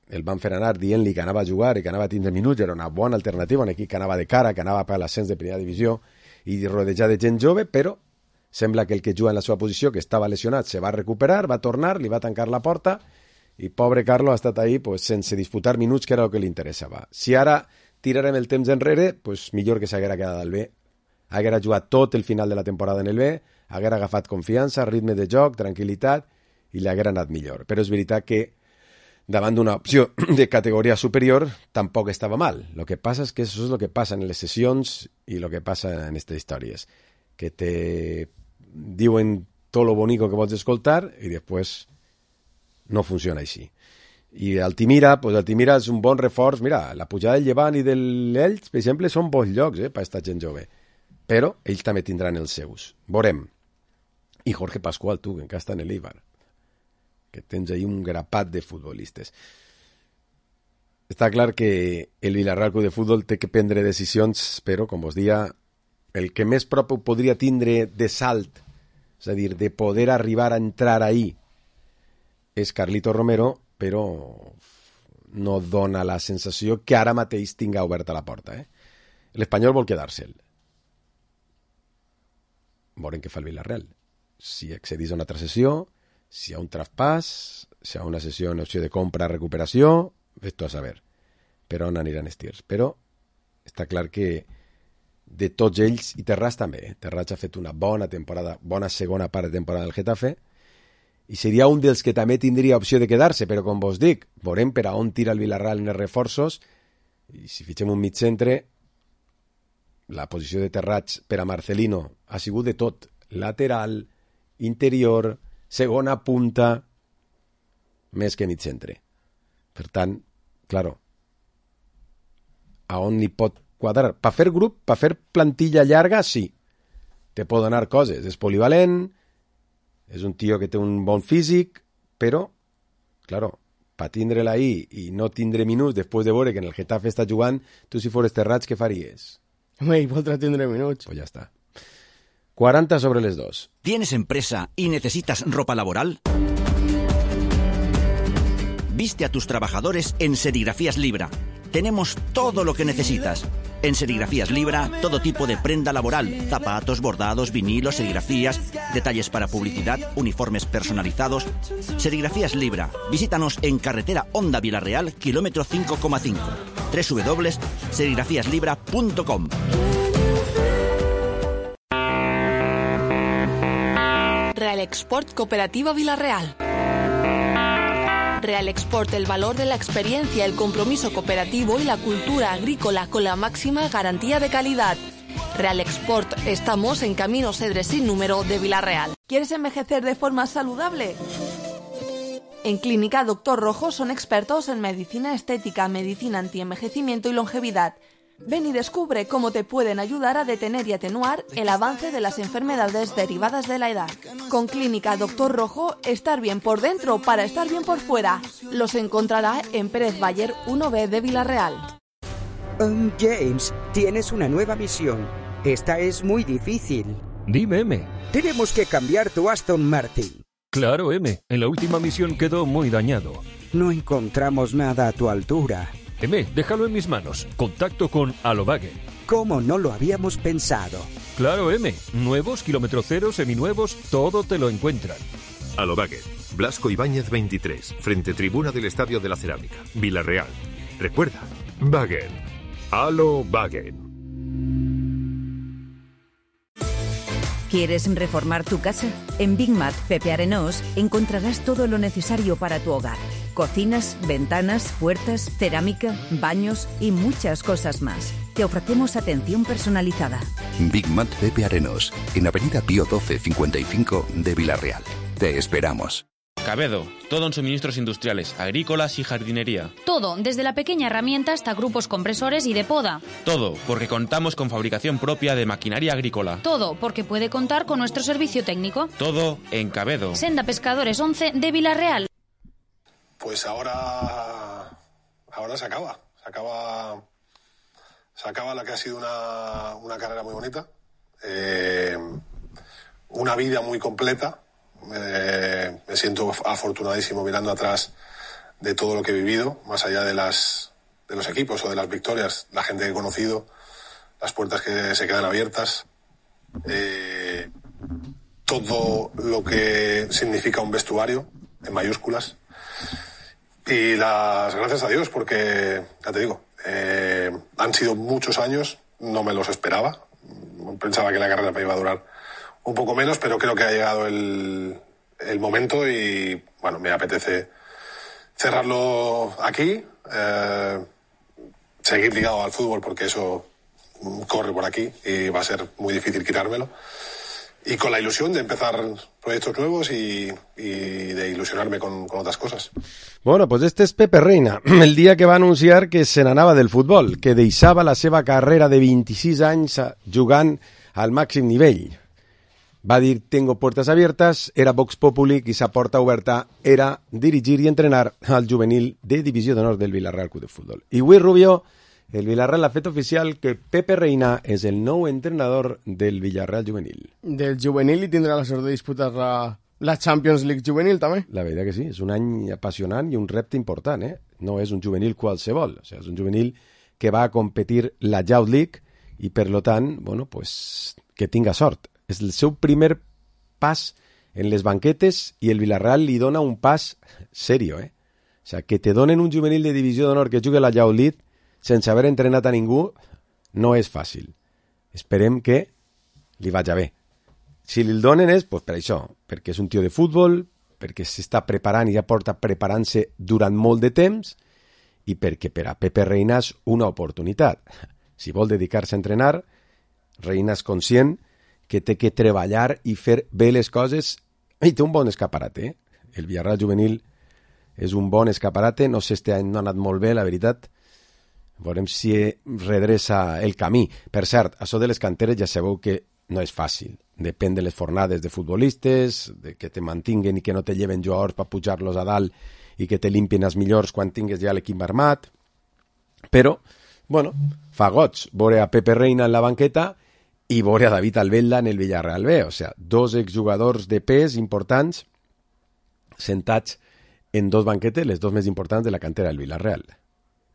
El van fer anar dient-li que anava a jugar i que anava a tindre minuts, era una bona alternativa, un equip que anava de cara, que anava per l'ascens de primera divisió i rodejar de gent jove, però sembla que el que juga en la seva posició, que estava lesionat, se va recuperar, va tornar, li va tancar la porta i pobre Carlo ha estat ahí pues, sense disputar minuts, que era el que li interessava. Si ara tirarem el temps enrere, pues, millor que s'haguera quedat al B. Haguera jugat tot el final de la temporada en el B, haguera agafat confiança, ritme de joc, tranquil·litat i li haguera anat millor. Però és veritat que davant d'una opció de categoria superior tampoc estava mal. Lo que passa és que això és el que passa en les sessions i el que passa en aquestes històries, que te diuen tot lo bonico que vols escoltar i després no funciona així. I Altimira, pues Altimira és un bon reforç. Mira, la pujada del Llevant i del Elx, per exemple, són bons llocs per aquesta gent jove. Però ells també tindran els seus. Veurem. I Jorge Pascual, tu, que encara està en l'Eibar, que tens ahí un grapat de futbolistes. Està clar que el Villarreal Club de Futbol té que prendre decisions, però, com vos dia, el que més prop podria tindre de salt, és a dir, de poder arribar a entrar ahí, és Carlito Romero, però no dona la sensació que ara mateix tinga oberta la porta. L'Espanyol vol quedar-se'l. Veurem què fa el Villarreal. Si accedís a una altra sessió, si hi ha un traspàs, si hi ha una sessió en opció de compra-recuperació, ves-t'ho a saber. Per on aniran els tirs. Però està clar que de tots ells, i Terrats també, Terrats ha fet una bona temporada, bona segona part de temporada del Getafe, i seria un dels que també tindria opció de quedar-se, però com vos dic, veurem per a on tira el Villarreal en els reforços, i si fitxem un mig centre, la posició de Terrats per a Marcelino ha sigut de tot, lateral, interior, segona punta, més que mig centre. Per tant, claro, a on li pot quadrar? Per fer grup, per fer plantilla llarga, sí. Te pot donar coses. És polivalent, és un tio que té un bon físic, però, claro, per tindre-la ahí i no tindre minuts després de veure que en el Getafe està jugant, tu si fores Terrats, què faries? Home, i voldrà tindre minuts. Pues ja està. 40 sobre les 2. ¿Tienes empresa y necesitas ropa laboral? Viste a tus trabajadores en Serigrafías Libra. Tenemos todo lo que necesitas. En Serigrafías Libra, todo tipo de prenda laboral, zapatos, bordados, vinilos, serigrafías, detalles para publicidad, uniformes personalizados. Serigrafías Libra. Visítanos en carretera Honda Villarreal, kilómetro 5,5. www.serigrafíaslibra.com. Real Export Cooperativa Villarreal. Real Export, el valor de la experiencia, el compromiso cooperativo y la cultura agrícola con la máxima garantía de calidad. Real Export, estamos en Camino Cedres sin número de Villarreal. ¿Quieres envejecer de forma saludable? En Clínica Doctor Rojo son expertos en medicina estética, medicina antienvejecimiento y longevidad. Ven y descubre cómo te pueden ayudar a detener y atenuar el avance de las enfermedades derivadas de la edad. Con Clínica Doctor Rojo, estar bien por dentro para estar bien por fuera. Los encontrará en Pérez Bayer 1B de Villarreal. James, tienes una nueva misión. Esta es muy difícil. Dime, M. Tenemos que cambiar tu Aston Martin. Claro, M. En la última misión quedó muy dañado. No encontramos nada a tu altura. M, déjalo en mis manos. Contacto con Alobague. ¿Cómo no lo habíamos pensado? Claro, M. Nuevos, kilómetro cero, seminuevos, todo te lo encuentran. Alobague. Blasco Ibáñez 23, frente tribuna del Estadio de la Cerámica, Villarreal. Recuerda, Wagen. Alobagen. ¿Quieres reformar tu casa? En Big Mat Pepe Arenós encontrarás todo lo necesario para tu hogar. Cocinas, ventanas, puertas, cerámica, baños y muchas cosas más. Te ofrecemos atención personalizada. Big Mat Pepe Arenós, en Avenida Pío 12 55 de Villarreal. Te esperamos. Cabedo, todo en suministros industriales, agrícolas y jardinería. Todo, desde la pequeña herramienta hasta grupos compresores y de poda. Todo, porque contamos con fabricación propia de maquinaria agrícola. Todo, porque puede contar con nuestro servicio técnico. Todo en Cabedo. Senda Pescadores 11 de Villarreal. Pues ahora se acaba Se acaba la que ha sido una carrera muy bonita, una vida muy completa. Me siento afortunadísimo mirando atrás de todo lo que he vivido, más allá de los equipos o de las victorias, la gente que he conocido, las puertas que se quedan abiertas, todo lo que significa un vestuario, en mayúsculas. Y las gracias a Dios, porque, ya te digo, han sido muchos años, no me los esperaba. Pensaba que la carrera me iba a durar un poco menos, pero creo que ha llegado el momento y, bueno, me apetece cerrarlo aquí, seguir ligado al fútbol porque eso corre por aquí y va a ser muy difícil quitármelo. Y con la ilusión de empezar proyectos nuevos y de ilusionarme con otras cosas. Bueno, pues este és Pepe Reina, el dia que va anunciar que se n'anava del futbol, que deixava la seva carrera de 26 anys jugant al màxim nivell. Va dir, tengo puertas abiertas, era Vox Populi, i sa porta oberta era dirigir i entrenar al juvenil de Divisió d'Honor del Villarreal Club de Futbol. I avui, Rubio, el Villarreal ha fet oficial que Pepe Reina és el nou entrenador del Villarreal juvenil. Del juvenil i tindrà la sort de disputar la Champions League juvenil també. La veritat que sí, és un any apassionant i un repte important, eh? No és un juvenil qualsevol, o sigui, és un juvenil que va a competir la Youth League i per lo tant, bueno, pues que tinga sort. És el seu primer pas en les banquetes i el Villarreal li dona un pas serio, eh? O sigui, que te donen un juvenil de Divisió d'Honor que jugui a la Youth League sense haver entrenat a ningú no és fàcil. Esperem que li vagi bé. Si li el donen és pues, per això, perquè és un tio de futbol, perquè s'està preparant i ja porta preparant-se durant molt de temps i perquè per a Pepe Reina és una oportunitat. Si vol dedicar-se a entrenar, Reina és conscient que té que treballar i fer bé les coses i té un bon escaparate. Eh? El Villarreal juvenil és un bon escaparate, no sé, este any no ha anat molt bé, la veritat. Veurem si redreça el camí. Per cert, això de les canteres ja sabeu que no és fàcil. Depèn de les fornades de futbolistes, de que te mantinguen i que no te lleven jugadors per pujar-los a dalt i que te limpien els millors quan tingues ja l'equip armat. Però, bueno, fa goig veure a Pepe Reina en la banqueta i veure a David Albelda en el Villarreal B. O sigui, dos exjugadors de pes importants sentats en dos banquetes, les dos més importants de la cantera del Villarreal.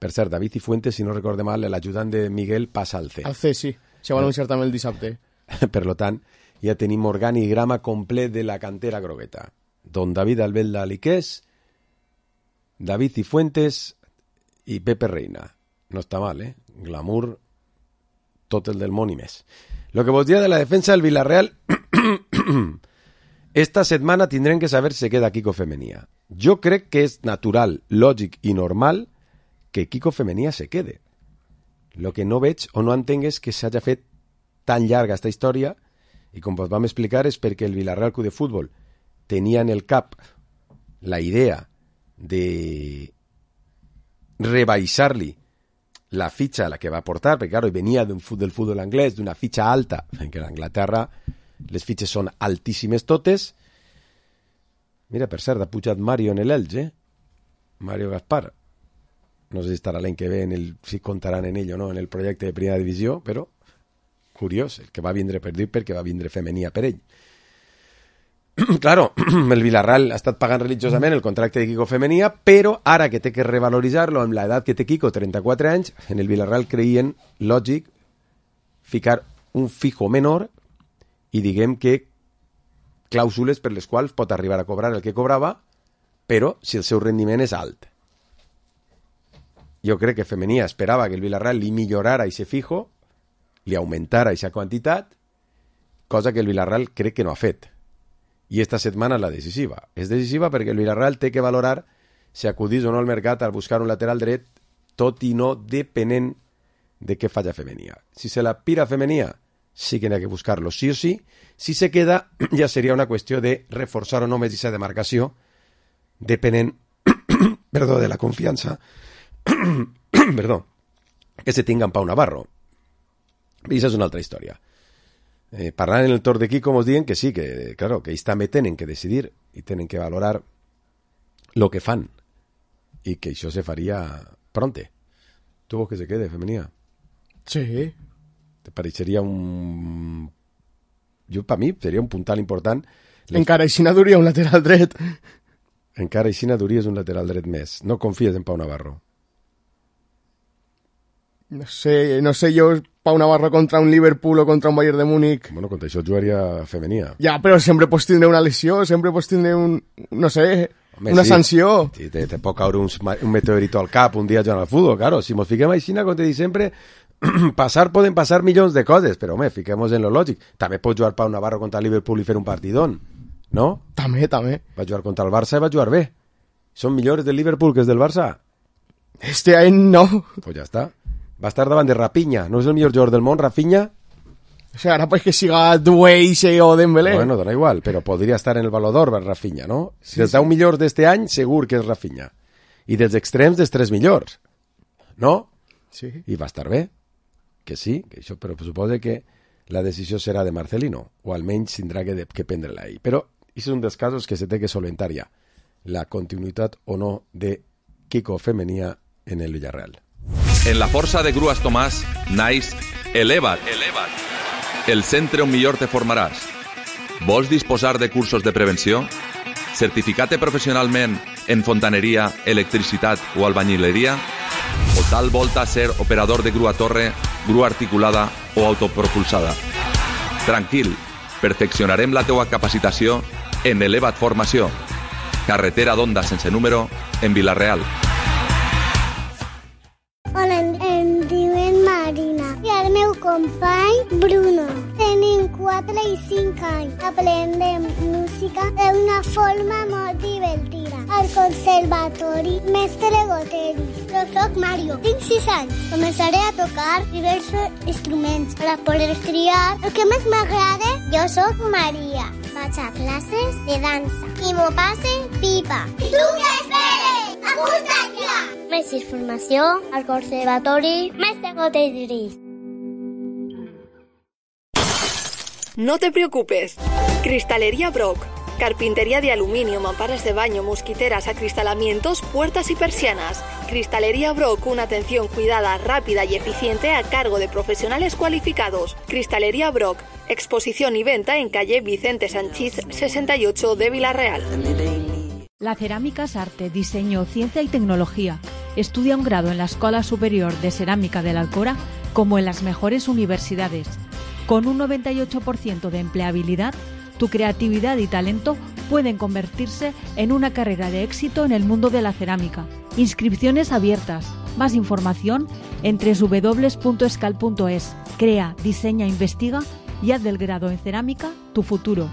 Per cert, David Cifuentes, si no recorde mal, l'ajudant de Miguel passa al C. Al C, sí. Se va anunciar també el dissabte. Per lo tant, ja tenim organigrama complet de la cantera grogueta. Don David Albelda Aliqués, David Cifuentes i Pepe Reina. No està mal, eh? Glamour, tot el del món i més. Lo que vos dia de la defensa del Villarreal, esta setmana tindrem que saber si queda Kiko Femenia. Jo crec que és natural, lògic i normal que Kiko Femenia se quede. Lo que no veig o no entenc és que s'hagi fet tan llarga esta història i com vos vam explicar és perquè el Villarreal Club de Futbol tenia en el cap la idea de rebaixar-li la fitxa a la que va portar, perquè claro, venia del futbol anglès, d'una fitxa alta, perquè a Anglaterra les fitxes són altíssimes totes. Mira, per cert, ha pujat Mario en l'Elx, Mario Gaspar. No sé si estarà l'any que ve, si comptaran en ell o no, en el projecte de primera divisió, però curiós, el que va vindre per dir perquè va vindre Femenia per ell. Claro, el Villarreal ha estat pagant religiosament el contracte de Kiko Femenia, però ara que té que revaloritzar-lo amb l'edat que té Kiko, 34 anys, en el Villarreal creien lògic ficar un fijo menor i diguem que clàusules per les quals pot arribar a cobrar el que cobrava, però si el seu rendiment és alt. Jo crec que Femenia esperava que el Villarreal li millorara ese fijo, li augmentara aquesta quantitat, cosa que el Villarreal crec que no ha fet. I esta setmana és la decisiva. És decisiva perquè el Villarreal té que valorar si acudís o no al mercat a buscar un lateral dret, tot i no depenent de què falla Femenia. Si se la pira Femenia, sí que n'hi ha que buscar-lo sí o sí. Si se queda, ja seria una qüestió de reforçar o no més aquesta demarcació, depenent de la confiança que se tinga en Pau Navarro. I això és una altra història. Parlant en el torn d'aquí, com us diuen que sí, que claro, que ells també tenen que decidir i tenen que valorar el que fan i que això se faria pronte. Tu vols que se quede, Femenia? Sí. Te pareixeria un... Per mi seria un puntal important. Encara així duria un lateral dret. Encara així duries un lateral dret més. No confies en Pau Navarro? No sé jo, Pau Navarro contra un Liverpool o contra un Bayern de Múnich. Bueno, contra això jugaria femenia. Ja, però sempre pots tindre una lesió, sempre pots tindre no sé, una sanció. Sí, te pot caure un meteorito al cap un dia jugant al futbol, claro. Si mos fiquem així, com te dic sempre, poden passar milions de coses, però, home, fiquem-nos en lo lògic. També pot jugar Pau Navarro contra el Liverpool i fer un partidón, no? També. Va jugar contra el Barça i va jugar bé. Són millors del Liverpool que és del Barça? Este any no. Pues ja està. Va estar davant de Rafinha. No és el millor jugador del món, Rafinha? O sea, ara pues que siga Dueise o Dembélé. Bueno, dona igual, però podria estar en el Balló d'Or Rafinha, no? Sí, dels 10 millors d'este any, segur que és Rafinha. I dels extrems, dels 3 millors. No? Sí. I va estar bé. Que sí, que això, però suposa que la decisió serà de Marcelino, o almenys tindrà que prendre-la ell. Però és un dels casos que se té que solventar ja. La continuïtat o no de Kiko Femenia en el Villarreal. En la força de Grues Tomàs naix Eleva't. El centre on millor te formaràs. Vols disposar de cursos de prevenció? Certificat-te professionalment en fontaneria, electricitat o albañileria? O tal volta ser operador de grua torre, grua articulada o autopropulsada? Tranquil, perfeccionarem la teua capacitació en Eleva't Formació. Carretera d'Onda sense número en Vila-real. Hola, em diuen Marina i el meu company Bruno. Tenim 4 i 5 anys. Aprendem música d'una forma molt divertida. Al conservatori Mestre Goteris. Jo soc Mario, tinc 6 anys. Començaré a tocar diversos instruments per a poder triar el que més m'agrada. Jo soc Maria. Vaig a classes de dansa i m'ho passe pipa. I tu què esperes? Apunta't ja! Més informació al Conservatori Mestre Goteris. No te preocupes. Cristalería Brock. Carpintería de aluminio, mamparas de baño, mosquiteras, acristalamientos, puertas y persianas. Cristalería Brock, una atención cuidada, rápida y eficiente a cargo de profesionales cualificados. Cristalería Brock, exposición y venta en calle Vicente Sanchís 68 de Vila-real. La cerámica es arte, diseño, ciencia y tecnología. Estudia un grado en la Escuela Superior de Cerámica de la Alcora como en las mejores universidades. Con un 98% de empleabilidad, tu creatividad y talento pueden convertirse en una carrera de éxito en el mundo de la cerámica. Inscripciones abiertas. Más información en www.escal.es. Crea, diseña, investiga y haz del grado en cerámica tu futuro.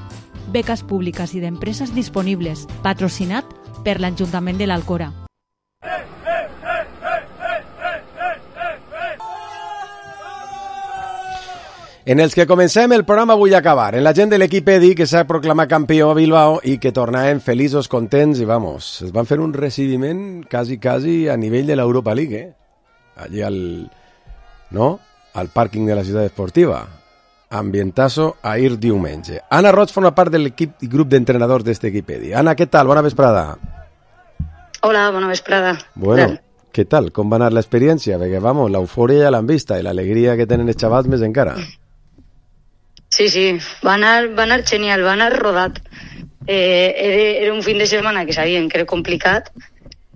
Becas públicas y de empresas disponibles. Patrocinat per l'Ajuntament de l'Alcora. En els que comencem el programa vull acabar. En la gent de l'equip EDI que s'ha proclamat campió a Bilbao i que tornaven feliços, contents i vamos, es van fer un recibiment quasi a nivell de l'Europa League, allí al pàrquing de la ciutat esportiva. Ambientazo a ir diumenge. Anna Roig forma part de l'equip i grup d'entrenadors d'aquest equip EDI. Anna, què tal? Bona vesprada. Hola, bona vesprada. Bueno, què tal? Com va anar l'experiència? Perquè, vamos, l'eufòria ja l'han vista i l'alegria que tenen els xavals més encara. Sí, va anar genial, va anar rodat. Era un fin de setmana que sabien que era complicat,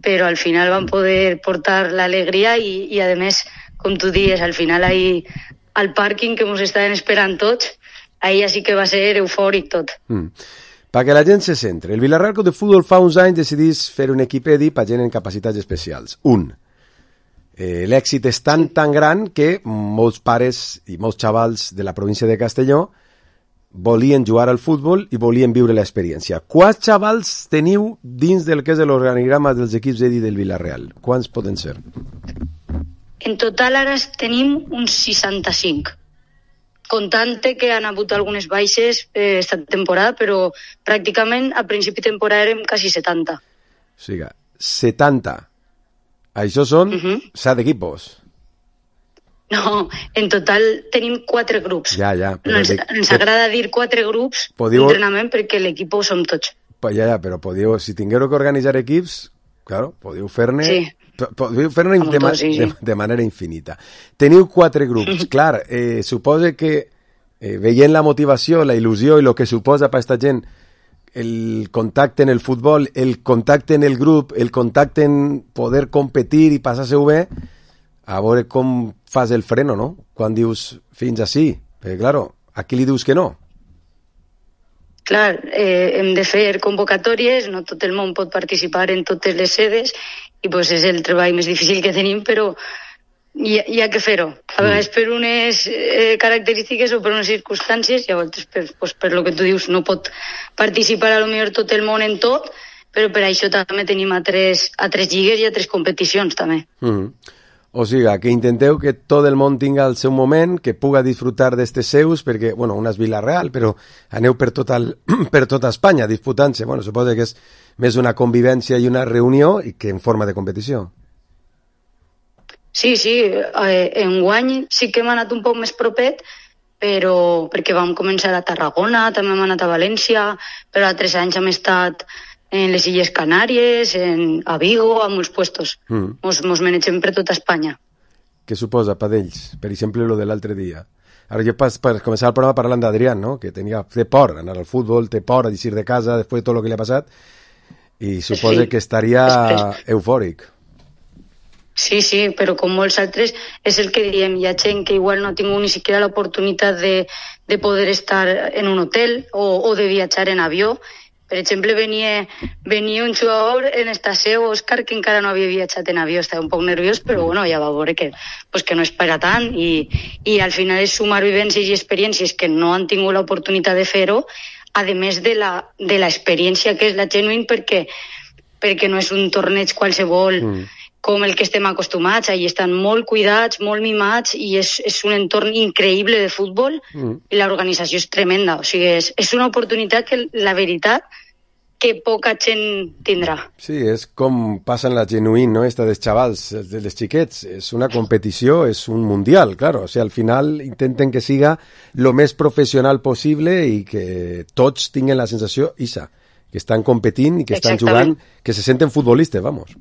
però al final van poder portar l'alegria i a més, com tu dius, al final ahí al pàrquing que ens estaven esperant tots, ahí sí que va ser eufòric tot. Perquè la gent se centre. El Villarreal Club de Futbol fa uns anys decidís fer un equip EDI per gent en capacitats especials. L'èxit és tan gran que molts pares i molts xavals de la província de Castelló volien jugar al futbol i volien viure l'experiència. Quants xavals teniu dins del que és l'organigrama dels equips EDI del Villarreal? Quants poden ser? En total ara tenim uns 65. Comptant que han hagut algunes baixes esta temporada, però pràcticament a principi de temporada érem quasi 70. O sigui, 70. Això són 7 equipos. No, en total tenim 4 grups. Ja. Ens agrada dir 4 grups d'entrenament perquè l'equip som tots. Ja, però podíeu, si tingueu que organitzar equips, claro, podíeu fer-ne podeu fer-ho de manera infinita. Teniu 4 grups. Clar, suposa que veient la motivació, la il·lusió i el que suposa per aquesta gent el contacte en el futbol, el contacte en el grup, el contacte en poder competir i passar-se-ho bé, a veure com fas el freno, no? Quan dius fins ací. Perquè, claro, a qui li dius que no? Clar, hem de fer convocatòries, no tot el món pot participar en totes les sedes i pues, és el treball més difícil que tenim, però hi ha que fer-ho. A vegades per unes característiques o per unes circumstàncies, i a vegades per lo que tu dius no pot participar a lo millor tot el món en tot, però per això també tenim a tres lligues i a 3 competicions també. O sigui, que intenteu que tot el món tinga el seu moment, que puga disfrutar d'estes seus, perquè, bueno, una és Vila-real, però aneu per tota Espanya disputant-se. Bueno, suposo que és més una convivència i una reunió i que en forma de competició. Sí, enguany sí que hem anat un poc més propet, però perquè vam començar a Tarragona, també hem anat a València, però altres anys hem estat en les Illes Canàries, a Vigo, a molts puestos. Mos manegem per tota Espanya. Què suposa per ells? Per exemple, lo de l'altre dia. Ara jo per començar el programa parlant d'Adrián, no? Que té por anar al futbol, té por a eixir de casa després de tot el que li ha passat, i suposa que estaria eufòric. Sí, però com molts altres és el que diem, hi ha gent que igual no ha tingut ni siquiera l'oportunitat de poder estar en un hotel o de viatjar en avió. Per exemple, venia un jugador en esta seu, Òscar, que encara no havia viatjat en avió, estava un poc nerviós, però bueno, ja va veure que no és per a tant, i al final és sumar vivències i experiències que no han tingut l'oportunitat de fer-ho, a més de l'experiència que és la Genuine, perquè no és un torneig qualsevol com el que estem acostumats, allà estan molt cuidats, molt mimats, i és un entorn increïble de futbol, i l'organització és tremenda. O sigui, és una oportunitat que, la veritat, que poca gent tindrà. Sí, és com passa en la Genuine, no? Esta dels xavals, dels xiquets. És una competició, és un mundial, claro. O sigui, al final intenten que siga lo més professional possible i que tots tinguen la sensació isa, que estan competint i que estan jugant, que se senten futbolistes, vamos.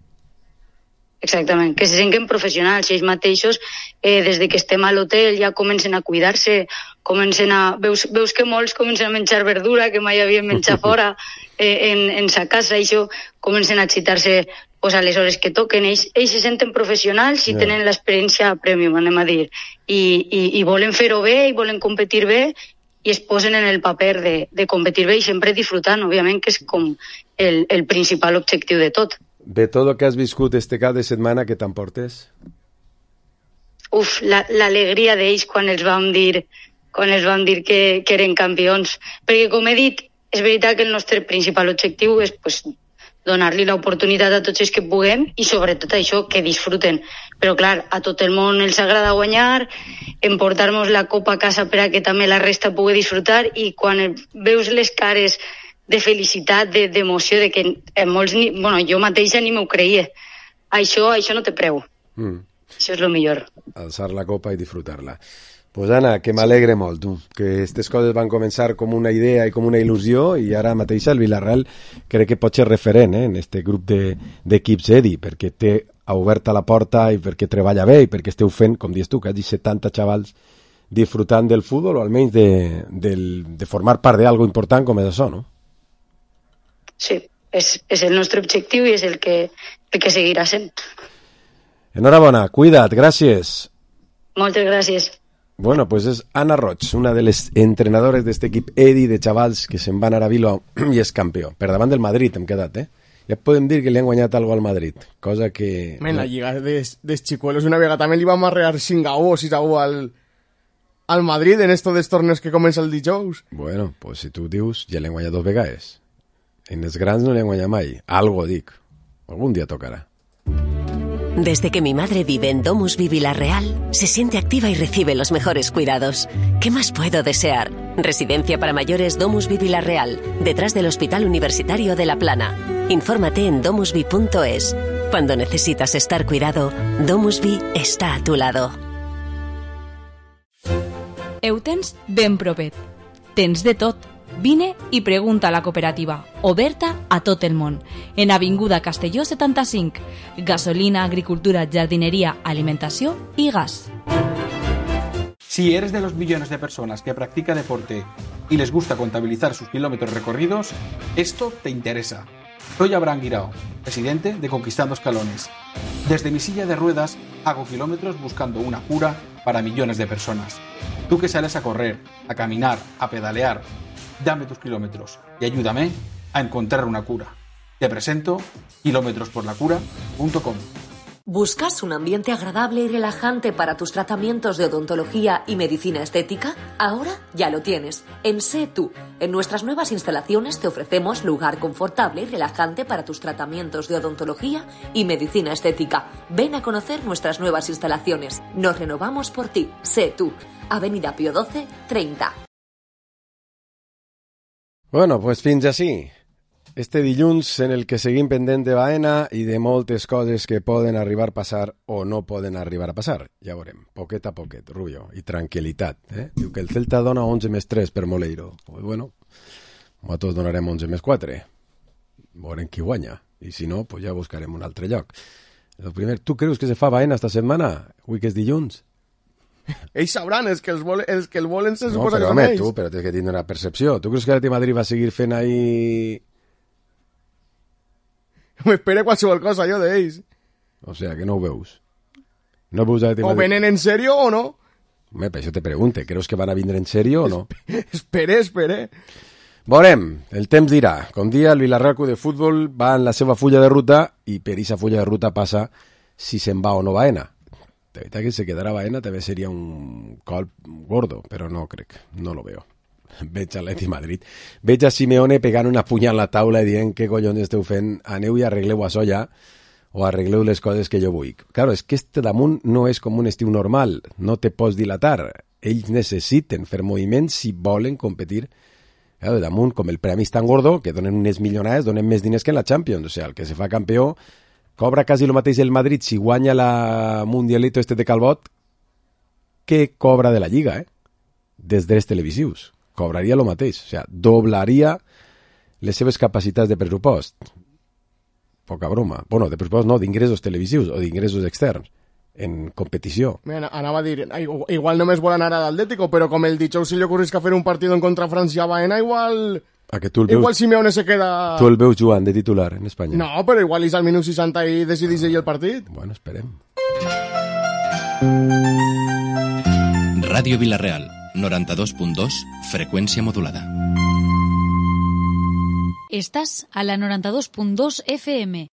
Exactament, que se senten professionals, ells mateixos, des de que estem a l'hotel ja comencen a cuidar-se, veus que molts comencen a menjar verdura, que mai havien menjat fora en sa casa, i això comencen a excitar-se a les hores que toquen. Ells se senten professionals i tenen l'experiència premium, anem a dir, i volen fer-ho bé, i volen competir bé, i es posen en el paper de competir bé i sempre disfrutant, òbviament, que és com el principal objectiu de tot. De tot el que has viscut este cap de setmana, què t'emportes? L'alegria d'ells quan els vam dir que eren campions. Perquè, com he dit, és veritat que el nostre principal objectiu és donar-li l'oportunitat a tots els que puguem i sobretot això, que disfruten. Però clar, a tot el món els agrada guanyar, emportar-nos la copa a casa per a que també la resta pugui disfrutar, i quan veus les cares de felicitat, d'emoció, de que molts, jo mateixa ni m'ho creia. Això no té preu. Això és el millor. Alçar la copa i disfrutar-la. Pues Anna, que m'alegre molt, tu, que aquestes coses van començar com una idea i com una il·lusió, i ara mateixa el Vila-real crec que pot ser referent en este grup d'equips EDI, perquè té oberta la porta i perquè treballa bé i perquè esteu fent, com dius tu, que has dit 70 xavals disfrutant del futbol, o almenys de formar part d'algo important com és això, no? Sí, és el nostre objectiu i és el que seguirà sent. Enhorabona, cuida't, gràcies. Moltes gràcies. Bueno, pues és Anna Roig, una de les entrenadores d'aquest equip EDI de xavals que se'n van anar a Bilbao i és campió. Per davant del Madrid hem quedat, Ja podem dir que li han guanyat algo al Madrid, cosa que... En la lliga dels xicuelos una vegada també li vam arrear 5-1 o 6-1 al Madrid en estos dels torneos que comença el dijous. Bueno, pues si tu dius, ja l'han guanyat 2 vegades. En els grans no le han guanyat mai. Algo dic. Algún día tocará. Desde que mi madre vive en DomusVi Vila-real, se siente activa y recibe los mejores cuidados. ¿Qué más puedo desear? Residencia para mayores DomusVi Vila-real, detrás del Hospital Universitario de La Plana. Infórmate en domusvi.es. Cuando necesitas estar cuidado, DomusVi está a tu lado. Heu tens ben propet. Tens de tot. Vine i pregunta a la cooperativa, oberta a tot el món, en Avinguda Castelló 75. Gasolina, agricultura, jardinería, alimentació y gas. Si eres de los millones de personas que practica deporte y les gusta contabilizar sus kilómetros recorridos, esto te interesa. Soy Abraham Guirao, presidente de Conquistando Escalones. Desde mi silla de ruedas hago kilómetros buscando una cura para millones de personas. Tú que sales a correr, a caminar, a pedalear, dame tus kilómetros y ayúdame a encontrar una cura. Te presento kilometrosporlacura.com. ¿Buscas un ambiente agradable y relajante para tus tratamientos de odontología y medicina estética? Ahora ya lo tienes. En Sé Tú. En nuestras nuevas instalaciones te ofrecemos lugar confortable y relajante para tus tratamientos de odontología y medicina estética. Ven a conocer nuestras nuevas instalaciones. Nos renovamos por ti. Sé Tú. Avenida Pío XII, 30. Bueno, pues fins així. Este dilluns en el que seguim pendent de Baena i de moltes coses que poden arribar a passar o no poden arribar a passar. Ja veurem, poquet a poquet, Rubio, i tranquil·litat. Diu que el Celta dona 11+3 per Moleiro. Pues bueno, nosaltres donarem 11+4. Veurem qui guanya. I si no, pues ja buscarem un altre lloc. El primer, tu creus que se fa Baena esta setmana? Avui que és dilluns? Ells sabran, els que el volen se no, suposa però, que són home, ells. tu, però tens que tindre una percepció. Tu creus que l'Atlètic de Madrid va seguir fent ahí... M'espera qualsevol cosa, jo, d'ells. O sea, que no ho veus. No veus l'Atlètic de O Madrid. venen en sèrio o no? Home, per això te pregunte. Creus que van a vindre en sèrio o no? Espere. Veurem, el temps dirà. Com dia, el Vilarreal Club de Futbol va en la seva fulla de ruta i per aquesta fulla de ruta passa si se'n va o no Baena. De veritat que si quedara Baena també seria un colp gordo, però no crec, no lo veo. Veig a l'Atlètic Madrid. Veig a Simeone pegant una punya a la taula i dient què collons esteu fent, aneu i arregleu això ja, o arregleu les coses que jo vull. Claro, és que este damunt no és com un estiu normal, no te pots dilatar. Ells necessiten fer moviments si volen competir. Claro, damunt, com el premi és tan gordo, que donen unes milionades, donen més diners que en la Champions. O sea, el que se fa campió cobra quasi el mateix el Madrid si guanya la Mundialito este de Calbot que cobra de la Lliga, des drets televisius. Cobraria el mateix, o sea, doblaria les seves capacitats de pressupost. Poca broma. Bueno, de pressupost no, d'ingressos televisius o d'ingressos externs en competició. Anava a dir, igual només vol anar a l'Atlético, però com el dijous si li ocorrisca fer un partit en contra França a Baena, igual... A que tu el veus, igual Simeone se queda... Tu el veus jugant de titular en Espanya. No, però igual és al minut 60 i decidís ell el partit. Bueno, esperem. Ràdio Vilareal, 92.2, freqüència modulada. Estás a la 92.2 FM,